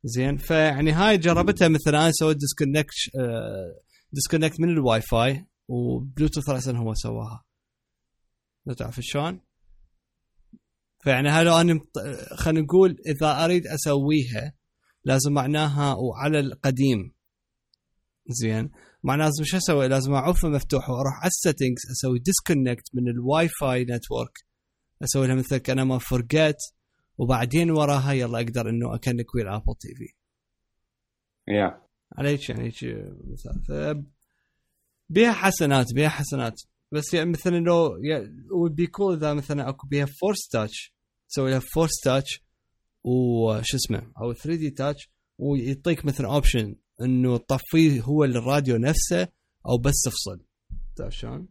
زين فيعني هاي جربتها مثلا انا سويت ديسكونكت من الواي فاي وبلوتوث راسا هو سواها، لا تعرف شلون. فيعني هلو انا خلينا نقول اذا اريد اسويها لازم معناها وعلى القديم زين معناه لازم شو اسوي؟ لازم اعوفه مفتوح واروح على السيتنجز اسوي ديسكونكت من الواي فاي نتورك، اسوي لها مثل كأنا ما فرقت، وبعدين وراها يلا اقدر انه اكنك ويا الابل تي في. عليك يعني مثال بيها حسنات بس يعني مثلا لو would be cool اذا مثلا اكو بيها فورس تاتش، تسوي لها فورس تاتش وش اسمه او 3D تاتش، ويعطيك مثلا اوبشن انه تطفيه هو الراديو نفسه او بس تفصل. تعرف شلون؟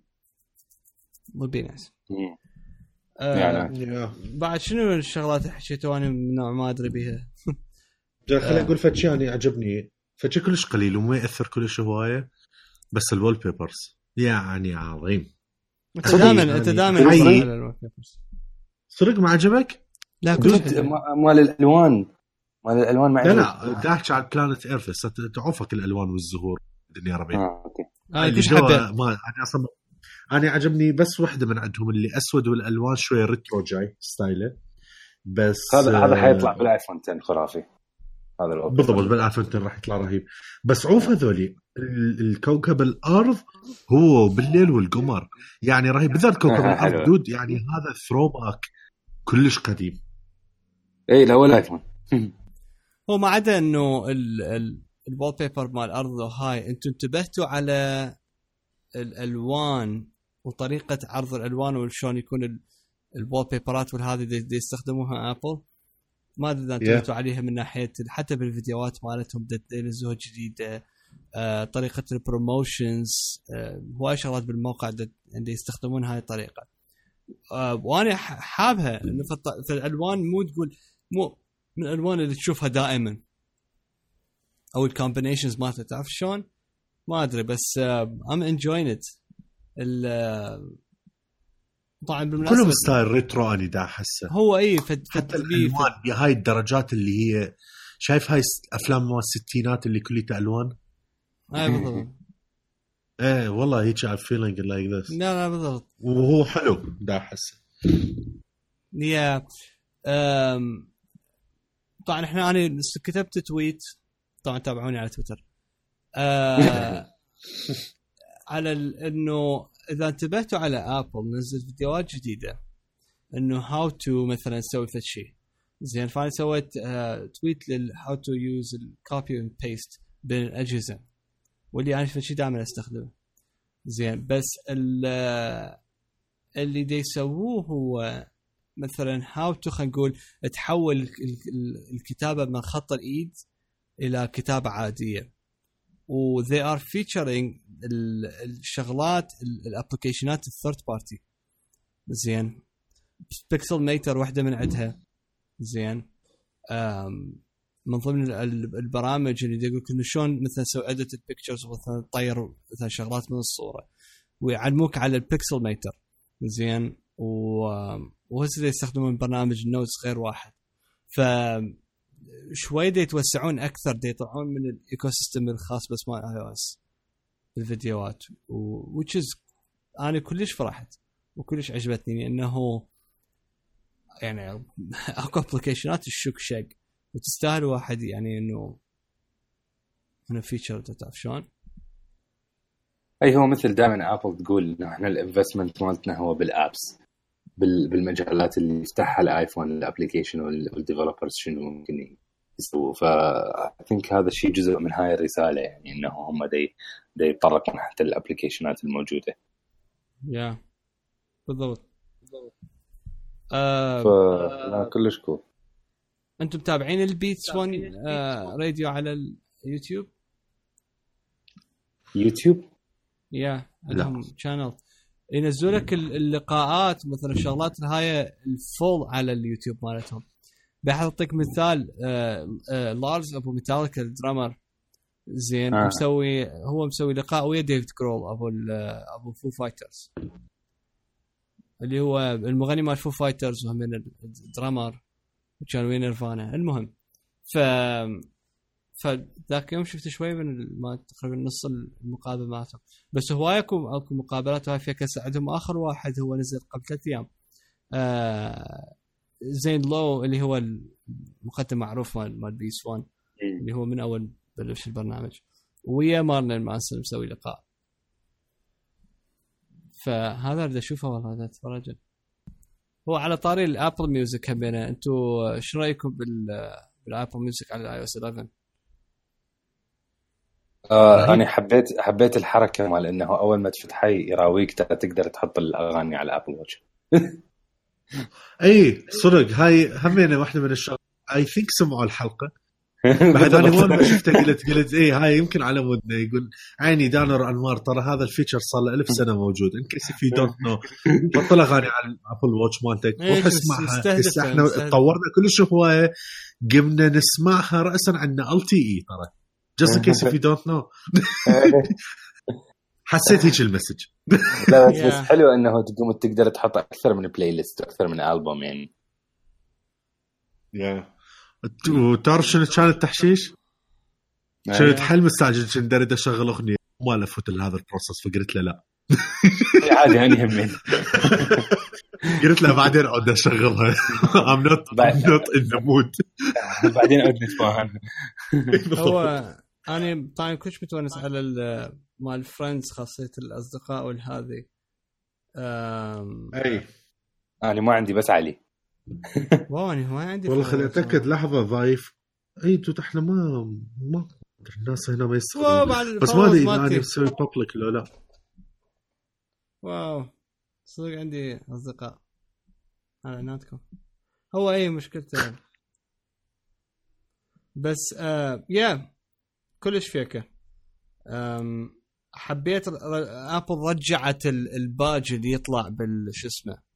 مو بيناس. بعد شنو الشغلات اللي حكيتوا انا من نوع ما ادري بيها؟ خليني اقول فتشي يعني عجبني، فتشي كلش قليل وما ياثر كلش هوايه، بس الوول بيبرز يعني عظيم. انت دائما على الوول بيبرز صدق ما عجبك؟ لا مال الالوان ما عجبك؟ لا داحش على بلانت ايرث تعوفك الالوان والزهور الدنيا ربيع. اوكي انا عجبني بس واحده من عندهم اللي اسود والالوان شويه ريترو جاي ستايله، بس هذا حيطلع بالايفون 10 خرافي. هذا بالضبط بالايفون 10 راح يطلع رهيب. بس عوف هذولي الكوكب الارض هو بالليل والقمر يعني رهيب، بالذات كوكب الارض دود يعني هذا ثرو باك كلش قديم. اي لا ولا ايفون هو ما عدا انه الوول بيبر مال الارض هاي انتم انتبهتوا على الالوان وطريقه عرض الالوان وشلون يكون الوول بيبرات والهذه دي يستخدموها ابل؟ ما ادري اذا انتبهتوا عليها من ناحيه حتى بالفيديوهات مالتهم ينزلوها جديده، طريقه البروموشنز، هواي شغلات بالموقع اللي يستخدمون هاي الطريقه. وانا حابها انه في الالوان مو تقول مو من الالوان اللي تشوفها دائما او الكومبينيشنز مالتها، تعرف شلون؟ ما ادري بس ام انجوين ات. طبعا بالمناسبه كلهم ستايل ريترو اني دا احسه هو اي حتى الالوان بهاي الدرجات اللي هي شايف هاي افلام مال الستينات اللي كلها الوان. اي بالضبط. ايه والله هيك I feeling like this. لا بالضبط، وهو حلو دا احسه. يا طبعا انا كتبت تويت، طبعا تابعوني على تويتر على انه اذا انتبهتوا على ابل نزلت فيديوهات جديده انه هاو تو مثلا نسوي ذا الشيء زين. فانا سويت تويت للهاو تو يوز الكوبي اند بيست بين الاجهزه، واللي انا في شيء دائما استخدمه زين. بس اللي دي يسووه هو مثلا هاو تو خلينا نقول تحول الكتابه من خط الايد الى كتابه عاديه، و they are featuring الشغلات الابلكيشنات الثيرد بارتي زين. بيكسل ميتر واحده من عندها زين، من ضمن البرامج اللي يقول انه شلون مثلا سوي اديت البيكتشرز مثلا تطير مثلا شغلات من الصوره ويعلموك على البيكسل ميتر زين. وهسه يستخدمون برنامج نوتس غير واحد، ف شوي دي يتوسعون اكثر، دي يطلعون من الايكو سيستم الخاص بس مال اي او اس بالفيديوهات، which is انا كلش فرحت وكلش عجبتني انه يعني اكو ابلكيشنات الشك شق وتستاهل واحد يعني انه هنا فيتشر. تعرف شلون؟ اي هو مثل دائما ابل تقول انه احنا الانفستمنت مالتنا هو بالابس، بالمجالات اللي يفتحها الايفون الابلكيشن والديفلوبرز شنو ممكن يسووا. I think هذا الشيء جزء من هاي الرسالة، يعني انه هم دي يتطرقون حتى الابلكيشنات الموجودة. يا بالضبط. لا كلش كول. انتم متابعين البيتس 1 راديو على اليوتيوب؟ يا عندهم شانل ينزلوا لك اللقاءات مثلا الشغلات هاي الفول على اليوتيوب مالتهم. بحطيك مثال لارز ابو ميتاليكا الدرامر زين مسوي لقاء ويا ديفيد كرول ابو فو فايترز اللي هو المغني مال فو فايترز وهم من الدرامر وكان وين نيرفانا. المهم فذاك يوم شفت شوي من ما تقريبا نص المقابله مالتهم، بس هواي اكو مقابلات هاي فيها كسر. عندهم اخر واحد هو نزل قبل 3 ايام زين لو اللي هو المقدم معروف مال بيس 1 اللي هو من اول بلش البرنامج، ويا مارلين مانسون مسوي لقاء. فهذا اللي اشوفه والله هذا اتفرج. هو على طاري الابل ميوزك همينه، انتم شو رايكم بالابل ميوزك على الاي او اس 11؟ انا حبيت الحركه مال انه اول ما تفتحي يراويك تقدر تحط الاغاني على الابل واتش. اي صدق هاي همينه واحده من الشغلات اي ثينك سمعوا الحلقه. بعد انا ما شفته قلت ايه هاي يمكن على مودنا. يقول عيني دانر انوار ترى هذا الفيتشر صار له 1000 سنه موجود ان كيس في دونت نو. بطل اغاني على الابل واتش مالتك روح اسمعها. احنا تطورنا كلش هوايه قمنا نسمعها راسا عندنا LTE ترى just in case if you don't know. حسيت هيك المسج. لا بس حلو انه تقدر تحط اكثر من بلاي ليست اكثر من ألبوم يعني. وتعرف شنو كان التحشيش؟ شنو تحل مستعجل كنت اريد اشغل اغنيه ما لفوت هذا البروسس فقلت له لا عادي يعني همين. قلت له بعدين اقعد اشغلها. I'm not in the mood. بعدين اقعد نتفاهم. هو انا طبعا كنت متونس على مال فريندز خاصيه الاصدقاء والهذه. اي انا ما عندي بس علي. وانا ما عندي والله خليني اتاكد لحظه ضايف. اي تو احنا ما الناس هنا ما يستخدمون بس ما ادري اذا انا بسوي بابليك لو لا. واو صدق عندي اصدقاء على ناتكم. هو اي مشكلته بس يا كلش فيكه. حبيت ابل رجعت الباج اللي يطلع بالش اسمه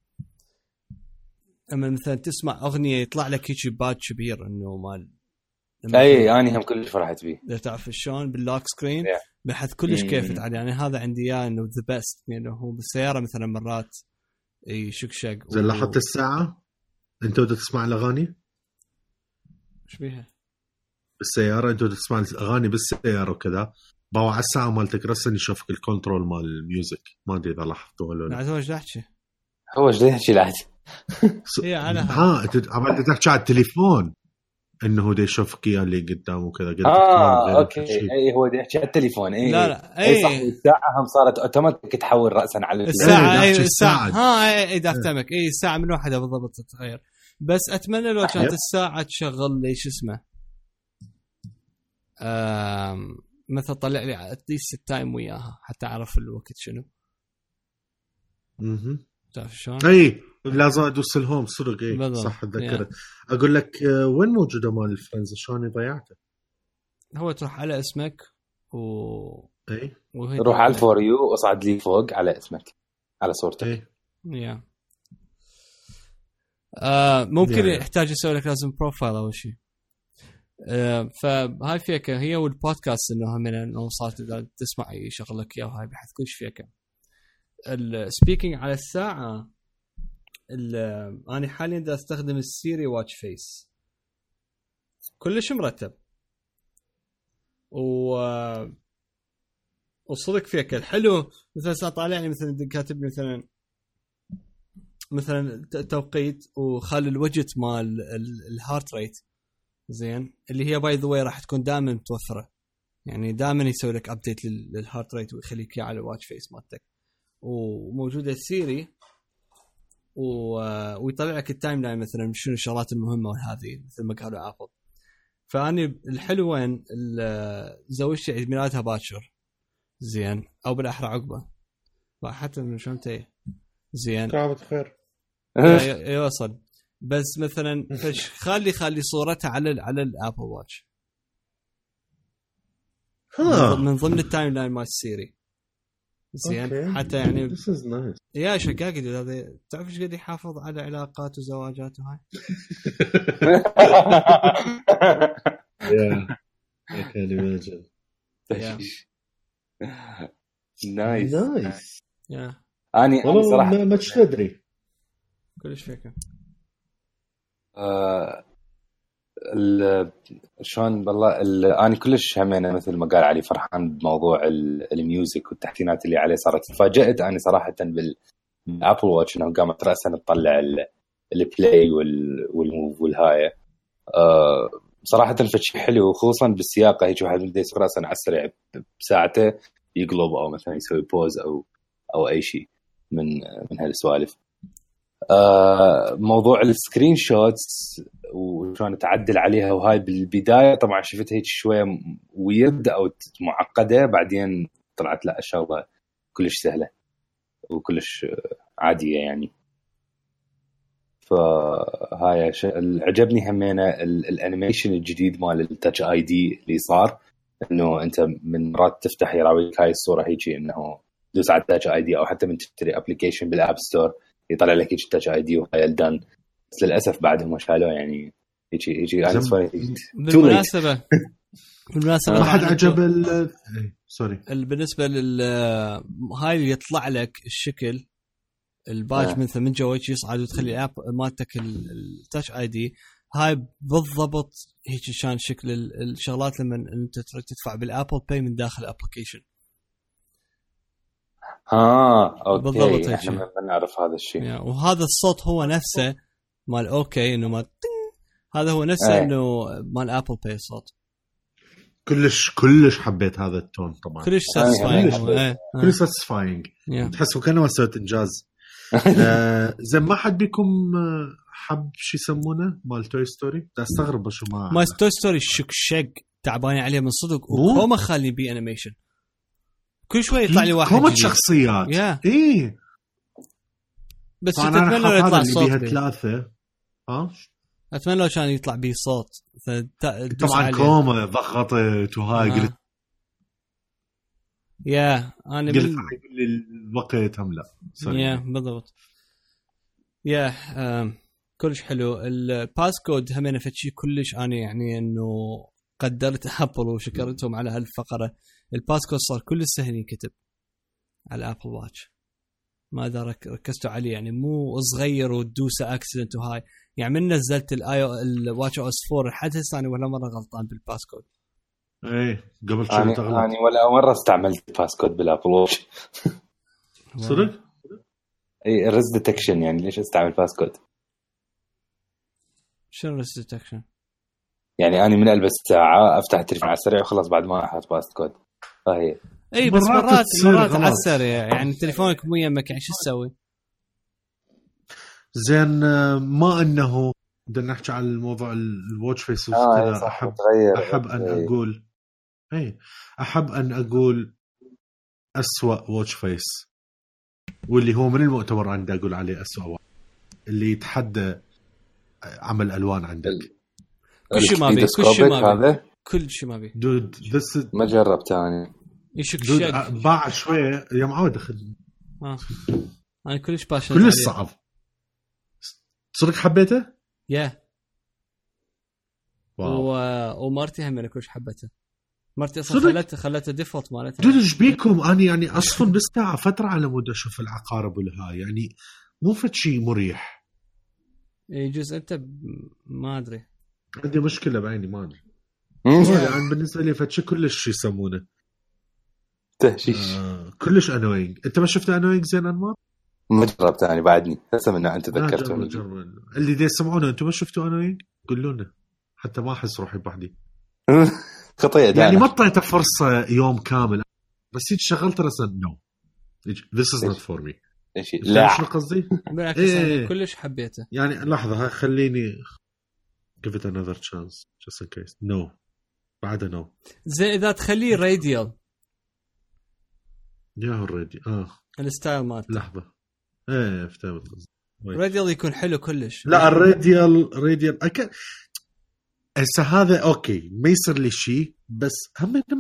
اما مثلا تسمع اغنيه يطلع لك هيك باج كبير انه مال. اي اني هم كلش فرحت بيه. لا تعرف شلون باللوك سكرين بحث كلش كيفت عليه يعني. هذا عندي اياه انه ذا بيست يعني. هو بالسياره مثلا مرات يشكشق زين لاحظت الساعه انت بدك تسمع الاغاني ايش بيها بالسياره؟ انت بدك تسمع الاغاني بالسياره وكذا باوع على الساعه مالتك رسن يشوفك الكنترول مال الميوزك. ما ادري اذا لاحظته ولا لا. هو ايش يحكي؟ هو ايش يحكي لعد؟ هي على عملت تحكي على التليفون انه هو يشوفك اياه اللي قدامه وكذا. قلت اوكي اي هو يحكي على التليفون. اي لا اي صح. الساعه هم صارت اوتوماتيك تحول راسا على الساعه. اي الساعه اي دافتمك. اي الساعه من واحده بالضبط تتغير. بس اتمنى لو كانت الساعه تشغل لي شو اسمه مثلا طلع لي اتليست التايم وياها حتى اعرف الوقت شنو. تعرف شلون؟ اي لازم ادوس الهوم صدق. اي صح تذكرت. اقول لك وين موجوده مال الفريندز شلون ضيعته؟ هو تروح على اسمك اي روح على الفور يو واصعد لي فوق على اسمك على صورتك. اي ممكن يحتاج يسوي لك لازم بروفايل او شيء. فهاي فيكه هي والبودكاست انه هم انه صارت تسمع يشغلك اياه وهاي بحث كلش فيكه. السبيكينج على الساعه انا حاليا دا استخدم السيري واتش فيس كلش مرتب وصدق فيك الحلو. مثلا طالعني مثلا كاتب مثلا توقيت وخلي الوجت مال الهارت ريت زين اللي هي باي ذا واي راح تكون دائما متوفره يعني. دائما يسوي لك ابديت للهارت ريت ويخليك اياه على الواتش فيس مالتك. وموجوده السيري ويطلع لك التايم لاين مثلا شنو الشغلات المهمه وهذه مثل ما قالوا ابل. فاني الحلو وين زوجتي عيد ميلادها باكر زين او بالاحرى عقبه حتى من شلون انت زين كابت خير يوصل. بس مثلا خلي صورتها على الابل واتش من ضمن التايم لاين مال السيري زين. حتى يعني يا شكاك هذا تعرف ايش قد يحافظ على علاقات وزواجات وهاي. يا كان يمجن نايس. يا اني صراحه ما تدري كلش فيك شلون بالله انا كلش همينه مثل ما قال علي فرحان بموضوع الميوزك والتحسينات اللي عليه صارت. تفاجأت انا صراحه بالابل واتش انه قامت راسا تطلع البلاي والموف والهايه. صراحه فشي حلو خصوصا بالسياقه هيك واحد بده يسوق راسا على السريع بساعته يقلب او مثلا يسوي بوز او اي شيء من هالسوالف. موضوع السكرين شوتس وشلون تعدل عليها وهاي بالبدايه طبعا شفت هيك شويه ويرد او معقده بعدين طلعت لا الشغله كلش سهله وكلش عاديه يعني. فهاي عجبني همينه الانيميشن الجديد مال التاتش اي دي اللي صار، انه انت من مرات تفتح يراويك هاي الصوره هيجي انه دوس على التاتش اي دي، او حتى من تشتري ابلكيشن بالاب ستور يطلع لك هيك التاتش اي دي وهاي الدن. بس للاسف بعدهم شالوه يعني يجي انا بالمناسبه ما حد عجب سوري بالنسبه هاي اللي يطلع لك الشكل الباج مثل من جوا يصعد وتخلي الاب مالتك التاتش اي دي، هاي بالضبط هيك شان شكل الشغلات لما انت تدفع بالابل باي من داخل الابلكيشن. اوكي بالضبط احنا ما نعرف هذا الشيء. وهذا الصوت هو نفسه مال اوكي انه ما هذا هو نفسه انه مال ابل باي الصوت. كلش حبيت هذا التون طبعا، كلش ساتسفاينج، كلش ساتسفاينج، تحسوا كانه سويت انجاز. زين ما حد بيكم حب شو يسمونه مال توي ستوري؟ استغرب شو ما توي ستوري شق تعبان عليه من صدق، وكوما خالي بي انيميشن كل شوي يطلع لي واحد كومة شخصيات ايه بس اتمنى لو يطلع صوت ثلاثة. اتمنى لو كان يطلع بيه صوت طبعا عليه. كوما ضغطت وهاي قلت انا قلت الوقت هم لا بالضبط كلش حلو. الباسكود همين فتشي كلش انا يعني انه قدرت ابل وشكرتهم على هالفقره. الباسكود صار كل سهل ينكتب على الابل واتش، ما ادري ركزتوا عليه يعني مو صغير وتدوسه اكسيدنت وهاي يعني. من نزلت الواتش او اس 4 لحد هسه انا ولا مره غلطان بالباسكود. ايه قبل شوي يعني ولا مره استعملت الباسكود بالابل واتش. صدق اي الريز ديتكشن يعني ليش استعمل باسكود؟ شنو الريز ديتكشن؟ يعني انا من البس ساعه افتح التليفون على السريع وخلص بعد ما احط باسكود. فهي اي بس مرات على السريع يعني تليفونك مو يمك يعني شو تسوي؟ زين ما انه بدنا نحكي على الموضوع الواتش فيس وكذا. احب ان اقول اسوأ واتش فيس، واللي هو من المؤتمر عندي اقول عليه اسوأ اللي يتحدى عمل الوان عندك. كل شيء ما بي دود ما جربت انا يشك باع شويه يا معود اخذ انا كلش باشا كلش صعب صدق حبيته ومارتي هم انا كلش حبته. مرتي اصلا خلته ديفولت مالتها. دود ايش بيكم اني يعني اصلا بستاع فتره على مود اشوف العقارب والهاي يعني مو فد شيء مريح. يجوز انت ما ادري عندي مشكله بعيني ما ادري يعني بالنسبه لي فد شيء كلش يسمونه تهشيش كلش انوينج. انت ما شفت انوينج زين انمار؟ ما جربت يعني بعدني هسه من انت ذكرتوني اللي دي يسمعونه. انتم ما شفتوا انوينج؟ قولوا لنا حتى ما احس روحي بحدي خطيئة يعني ما طلعت فرصة يوم كامل بس هيك شغلت رسم no this is not for me. لا شو قصدي؟ كلش حبيته يعني لحظة خليني give it another chance just in case. no بعد no. زين إذا تخليه راديال ياهو الراديال الستايل مالته لحظة افتهمت قصدي. راديال يكون حلو كلش. لا الراديال هسه هذا اوكي ما يصير لي شيء بس هم انه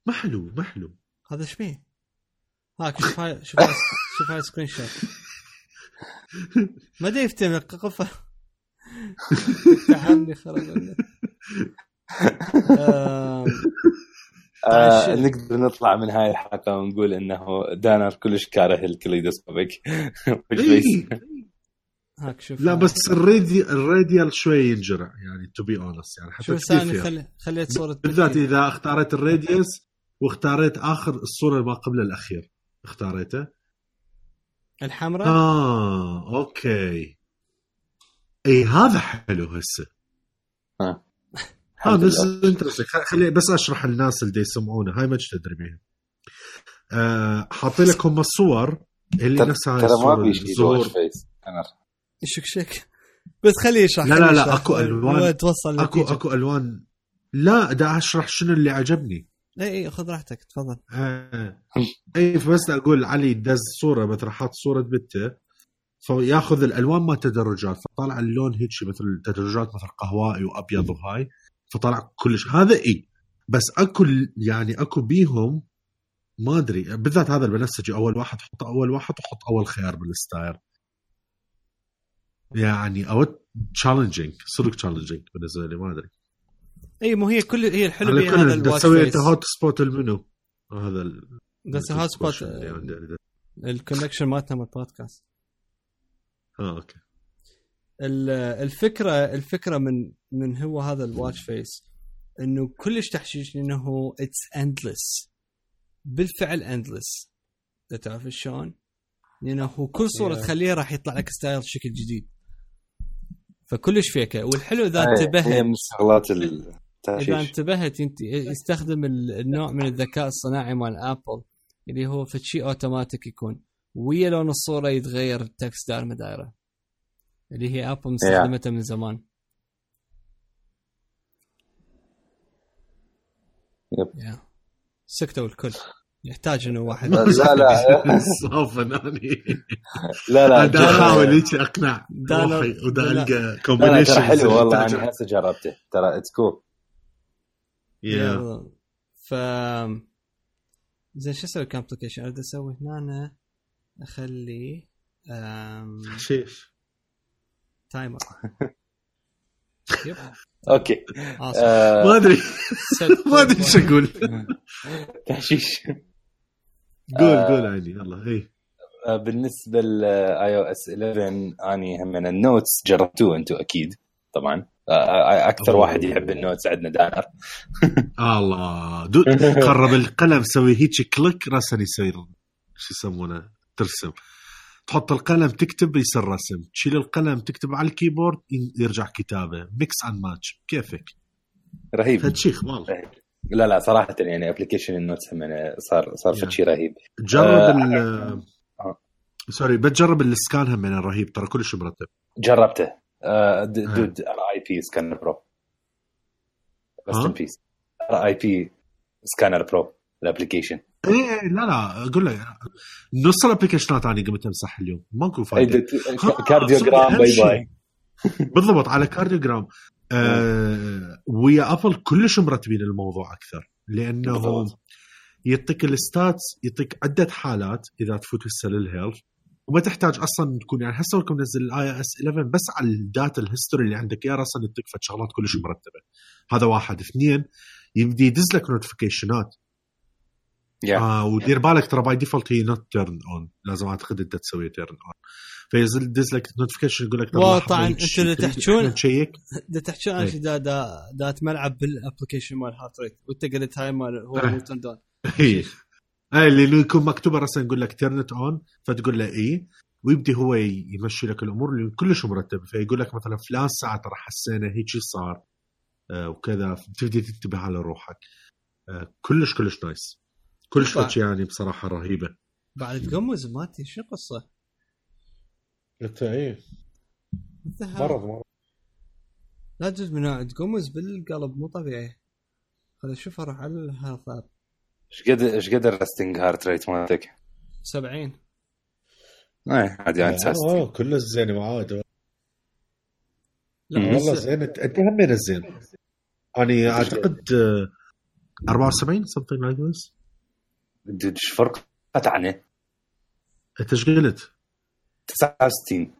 ما حلو هذا شبيه هاك شوف هاي سكرين شوت ما دي يفتهم قفه تحمني خرج نقدر نطلع من هاي الحلقة ونقول انه دانر كلش كاره الكليدوسكوبيك هاك شوف. لا بس الراديال شوي ينجرع يعني to be honest يعني حتى ثاني خليت صورة بالذات إذا اختارت الراديوس واختاريت آخر الصورة ما قبل الأخير اختاريته الحمراء أوكي أي هذا حلو هسه هذا خلي بس أشرح الناس اللي يسمعونه هاي ما تدري بيها حاطي لكم الصور اللي نفسها الصور شك بس خليه يشرح. لا اكو الوان توصل اكو الوان. لا دا اشرح شنو اللي عجبني. اي خذ راحتك تفضل. اي بس اقول علي دز صوره مثلا حاط صوره بنته فياخذ الالوان ما تدرجات، فطلع اللون هيك مثل تدرجات مثل قهوائي وابيض وهاي، فطلع كلش هذا بس اكو يعني اكو بيهم ما ادري بالذات هذا البنفسجي اول واحد حط اول واحد وحط اول خيار بالستايل يعني او تشالنجينج صدق تشالنجينج بالنسبه لي ما ادري اي مو هي كل هي الحلو بهذا الواتش تسوي انت هوت سبوت المنو هذا بس هوت سبوت الكونكشن مالتنا من البودكاست اوكي الفكره من هو هذا الواتش فيس انه كلش تحشيش انه اتس اندلس بالفعل اندلس تعرف شلون لانه هو كل صوره تخليها راح يطلع لك ستايل شكل جديد فكلش فيكه والحلو اذا انتبهت اذا انتبهت انت يستخدم النوع من الذكاء الصناعي مال ابل اللي هو فشي اوتوماتيك يكون ويا لون الصوره يتغير التكست دائره دايره اللي هي ابل مستخدمتها من زمان سكتوا الكل يحتاج انه واحد لا صافناني لا انا احاول هيك اقنع روحي ودا القى كومبينيشن حلو والله انا هسه جربته ترى اتس كول ف زين شو اسوي كومبليكيشن اريد اسوي هنا أنا اخلي شيش تايمر يب اوكي ما ادري شو اقول تحشيش قول عيني يلا هي بالنسبه للاي او اس 11 اني هم من النوتس جربتوه انتم اكيد طبعا اكثر واحد يحب النوتس عندنا دانر الله قرب القلم سوي هيك كليك راسا يصير شو يسمونه ترسم تحط القلم تكتب يصير رسم تشيل القلم تكتب على الكيبورد يرجع كتابه ميكس اند ماتش كيفك رهيب هالشيخ والله لا صراحه يعني ابلكيشن النوتس هم صار شيء رهيب جرب سوري بتجرب السكان هم من رهيب ترى كلش مرتب جربته دود اي بي سكانر برو بس بيس اي بي سكانر برو الابلكيشن ايه لا اقول لك نص الابلكيشنات انا قمت امسح اليوم ماكو فايده كارديوجرام باي بالضبط على كارديوجرام ويا ابل كلش مرتبين الموضوع اكثر لانه يعطيك الستاتس يعطيك عده حالات اذا تفوت السيل هيلث وما تحتاج اصلا تكون يعني هسه لكم نزل الاي اس 11 بس على الداتا الهيستوري اللي عندك يا راسا يعطيك شغلات كلش مرتبه هذا واحد اثنين يبدي يدز لك نوتيفيكيشنات ودير بالك ترى باي ديفولت هي نوت تيرن اون لازم اعتقد انت تسوي تيرن اون فينزل دز لك نوتيفيكيشن يقول لك طبعا انت اللي تحكون تحكون دا تملعب بالابلكيشن مال هارت ريت وانت قلت هاي مال هو نوتن دون اللي يكون مكتوبه راسا يقول لك تيرنت اون فتقول له اي ويبدي هو يمشي لك الامور اللي كلش مرتب فيقول لك مثلا فلان ساعه ترى حسينا هيك صار وكذا تبدي تنتبه على روحك كلش نايس كلش شيء يعني بصراحه رهيبه بعد تقمز ماتي شو قصه انت ايه مرض لا تجوز من نوع تقمز بالقلب مو طبيعي خلينا نشوف اروح على الهارت ايش قدر الرستنج هارت ريت مالتك 70 عادي عن اساس كله زين معاد لا والله زين انت هم من الزين انا اعتقد 74 something like this ايش فرق عنه انت ايش قلت 69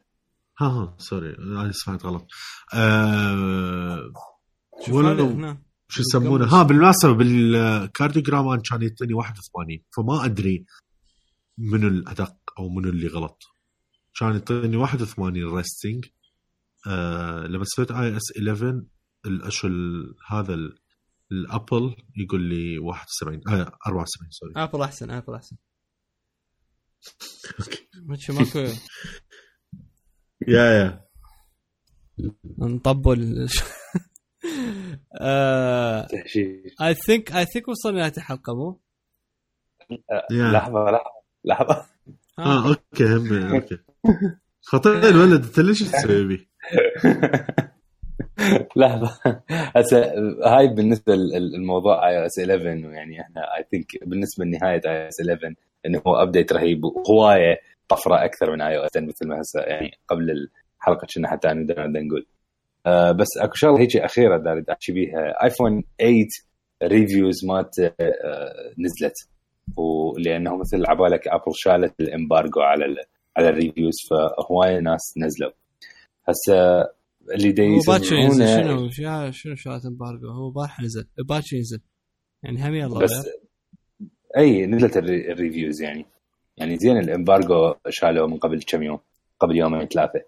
ها سوري انا سمعت غلط شو يسمونه بالمناسبه بالكارديوجرام كان يعطيني 81 فما ادري منو الادق او منو اللي غلط كان يعطيني 81 ريستنج لما سويت اي اس 11 الاشل هذا الابل يقول لي 71 74 سوري ابل احسن اوكي ماكو يا نطبل I think وصلنا لهذه الحلقة مو لحظة اوكي خطير الولد انت ليش تسوي بي لحظة هسه هاي بالنسبة للموضوع iOS 11 ويعني احنا I think بالنسبة لنهاية iOS 11 انه هو ابديت رهيب وهواية طفره اكثر من iOS 10 مثل ما هسه يعني قبل الحلقه كنا حتى انا نقول. بس اكو شغله هيك اخيره داري احكي بيها. ايفون 8 ريفيوز مات نزلت، ولانه مثل عبالك ابل شالت الامبارجو على الريفيوز، فهوايه ناس نزلوا هسه اللي دي يسمعونه. شنو شالت امبارجو؟ هو بارح نزل باكر ينزل يعني هم يلا بس اي نزلت الريفيوز يعني زين الامبارجو شالوه من قبل كم يوم، قبل يومين ثلاثه.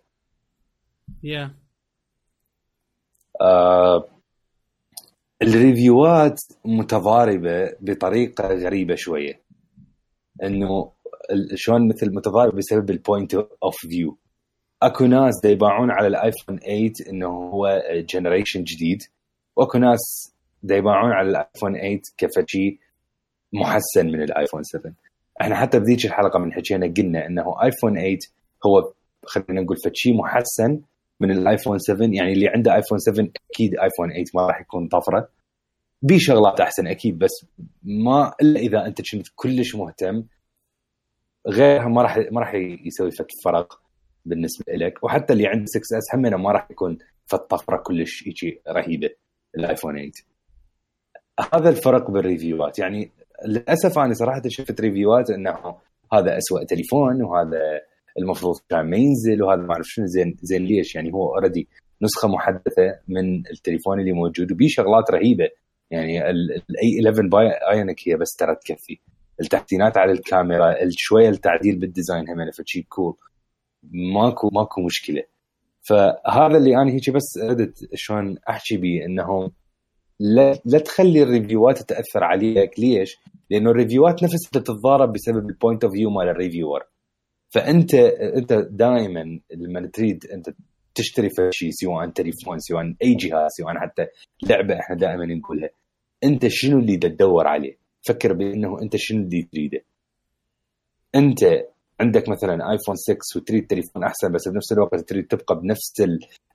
الريفيوات متضاربه بطريقه غريبه شويه، انه شلون مثل متضارب بسبب البوينت اوف فيو. اكو ناس دا يباعون على الايفون 8 انه هو جنريشن جديد، واكو ناس دا يباعون على الايفون 8 كفشي محسن من الايفون 7. احنا حتى بذيك الحلقه من حكينا قلنا انه ايفون 8 هو خلينا نقول فشي محسن من الايفون 7، يعني اللي عنده ايفون 7 اكيد ايفون 8 ما راح يكون طفره، بشغلات احسن اكيد، بس ما الا اذا انت كنت كلش مهتم، غيرها ما راح يسوي فك فرق بالنسبه لك. وحتى اللي عنده 6S همنا ما راح يكون فالطفره كلش شيء رهيبه الايفون 8. هذا الفرق بالريفيوات. يعني للاسف انا صراحه شفت ريفيوات انه هذا أسوأ تليفون، وهذا المفروض كان ما ينزل، وهذا ما اعرف شنو. زين ليش؟ يعني هو اوريدي نسخه محدثه من التليفون اللي موجود وبيه شغلات رهيبه. يعني الاي 11 بايونيك هي بس ترى تكفي، التحسينات على الكاميرا، شويه التعديل بالديزاين هم فشي كول، ماكو مشكله. فهذا اللي انا هيك بس ردت شلون احكي بيه، انه لا تخلي الريفيوات تاثر عليك. ليش؟ لانه الريفيوات نفسها تتضارب بسبب البوينت اوف فيو مال الريفيور. فانت دائما لما تريد انت تشتري شيء، سواء تليفون، سواء اي جهاز، سواء حتى لعبه، احنا دائما نقولها انت شنو اللي تدور عليه. فكر بانه انت شنو اللي تريده. انت عندك مثلا ايفون 6 وتريد تليفون احسن، بس بنفس الوقت تريد تبقى بنفس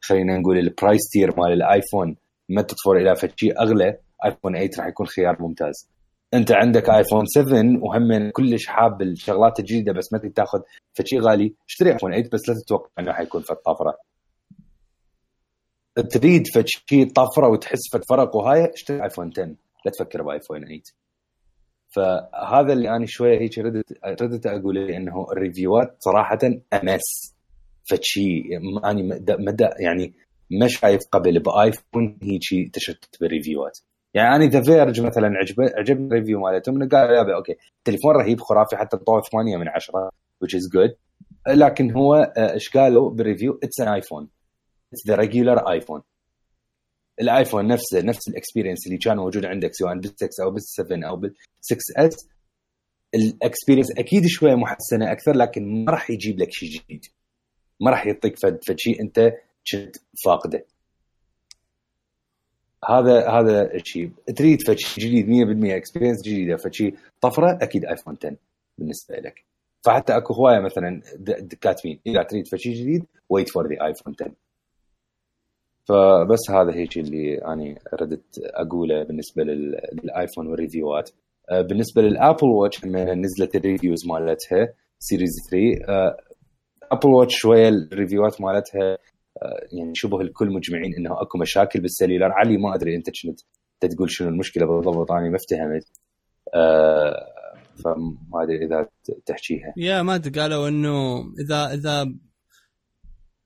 خلينا نقول البرايس تير مال الايفون، ما تطفر الى شيء اغلى، ايفون 8 راح يكون خيار ممتاز. انت عندك ايفون 7 وهم كلش حاب الشغلات الجديده، بس ما تريد تاخذ شيء غالي، اشتري ايفون 8 بس لا تتوقع انه حيكون في الطفره. تريد شيء طفره وتحس في الفرق وهاي، اشتري ايفون 10، لا تفكر بايفون 8. فهذا اللي انا شويه هيك ردت اقول انه الريفيوات صراحه امس فشي اني مدى يعني ما شايف قبل بايفون هيك تشتت بالريفيوات. يعني انا ذا فيرج مثلا عجبني الريفيو مالتهم، قال لا اوكي تليفون رهيب خرافي، حتى طوه 8 من 10 which is good، لكن هو ايش قالوا بالريفيو؟ اتس ان ايفون، اتس ذا ريجولار ايفون. الايفون نفس الاكسبيرينس اللي كان موجود عندك سواء بال6 او بال7 او بال6S، الاكسبيرينس اكيد شويه محسنه اكثر، لكن ما راح يجيب لك شيء جديد، ما راح يعطيك فد شيء انت كنت فاقده. هذا الشيء تريد فد شيء جديد 100% اكسبيرينس جديده، فد شيء طفره، اكيد ايفون 10 بالنسبه لك. فحتى اكو هوايه مثلا كاتبين اذا تريد فد شيء جديد wait for the iPhone 10. فبس هذا هيك اللي أنا ردت أقوله بالنسبة للآيفون والريفيوات. بالنسبة للآبل واتش نزلت الريفيوز مالتها سيريز 3. آبل واتش شوية الريفيوات مالتها يعني شبه الكل مجمعين إنه أكو مشاكل بالسليلر. علي ما أدري أنت كنت تقول شنو المشكلة بالضبط، أنا ما افتهمت. فما أدري إذا تحكيها. يا ما أدري، قالوا إنه إذا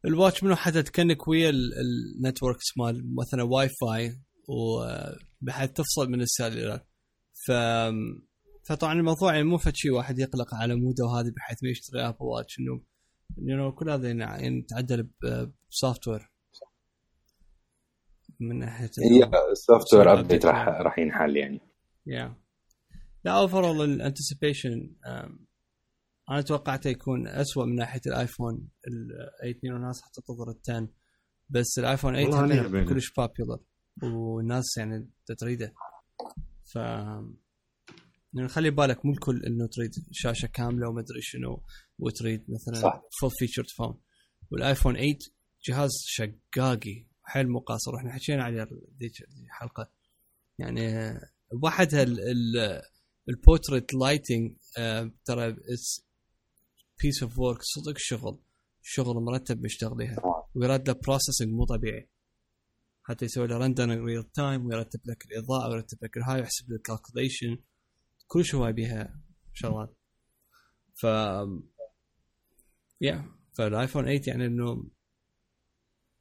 الواتش منو حتى تكنك ويا النتوركس مال مثلا واي فاي وبحيث تفصل من السيلولار. فطبعا الموضوع يعني مو فشي واحد يقلق على موده وهذه بحيث ما يشتري ابل واتش، انه كل هذا يعني تعدل بسوفت وير من ناحيه السوفت وير ابديت راح ينحل يعني. لا اوفرول الانتسيبيشن انا توقعته يكون أسوأ من ناحيه الايفون ال8 والناس حتى تنتظر ال10، بس الايفون 8 كلش بابيولر والناس يعني تريده. ف يعني خلي بالك مو الكل انه تريد شاشه كامله وما ادري شنو وتريد مثلا فول فيتشرد فون. والايفون 8 جهاز شقاقي حيل مقاصر، احنا حكينا عليه ذيك الحلقه. يعني بوحدها البورتريت لايتنج ترى بيس اوف ورك صدق شغل مرتب مشتغليها ويراد له بروسيسنج مو طبيعي حتى يسوي له رندر ريل تايم ويرتب لك الاضاءه ويرتب لك الهاي ويحسب لك الكالكوليشن كل شيء هواي بيها شغلات ف فالايفون 8 يعني انه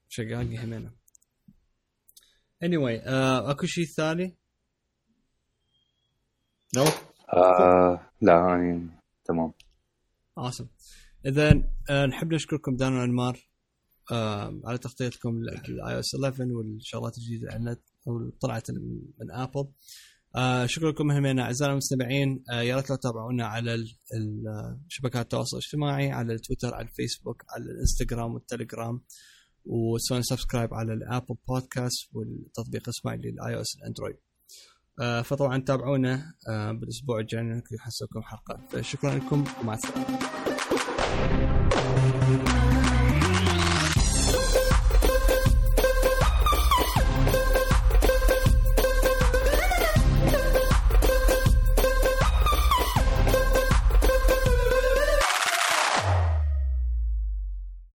شغال همينه anyway اكو شيء ثاني لا يعني تمام awesome اذا نحب نشكركم دان وانمار على تغطيتكم للاي اس 11 والشغلات الجديده اللي طلعت من ابل. شكرا لكم همين اعزائنا المستمعين. يا ريت لو تابعونا على شبكات التواصل الاجتماعي على التويتر على الفيسبوك على الانستغرام والتليجرام وسووا سبسكرايب على الابل بودكاست والتطبيق اسمه للاي او اس الاندرويد. فطبعا تابعونا بالاسبوع الجاي نحسوكم حلقه. شكرا لكم ومع السلامه.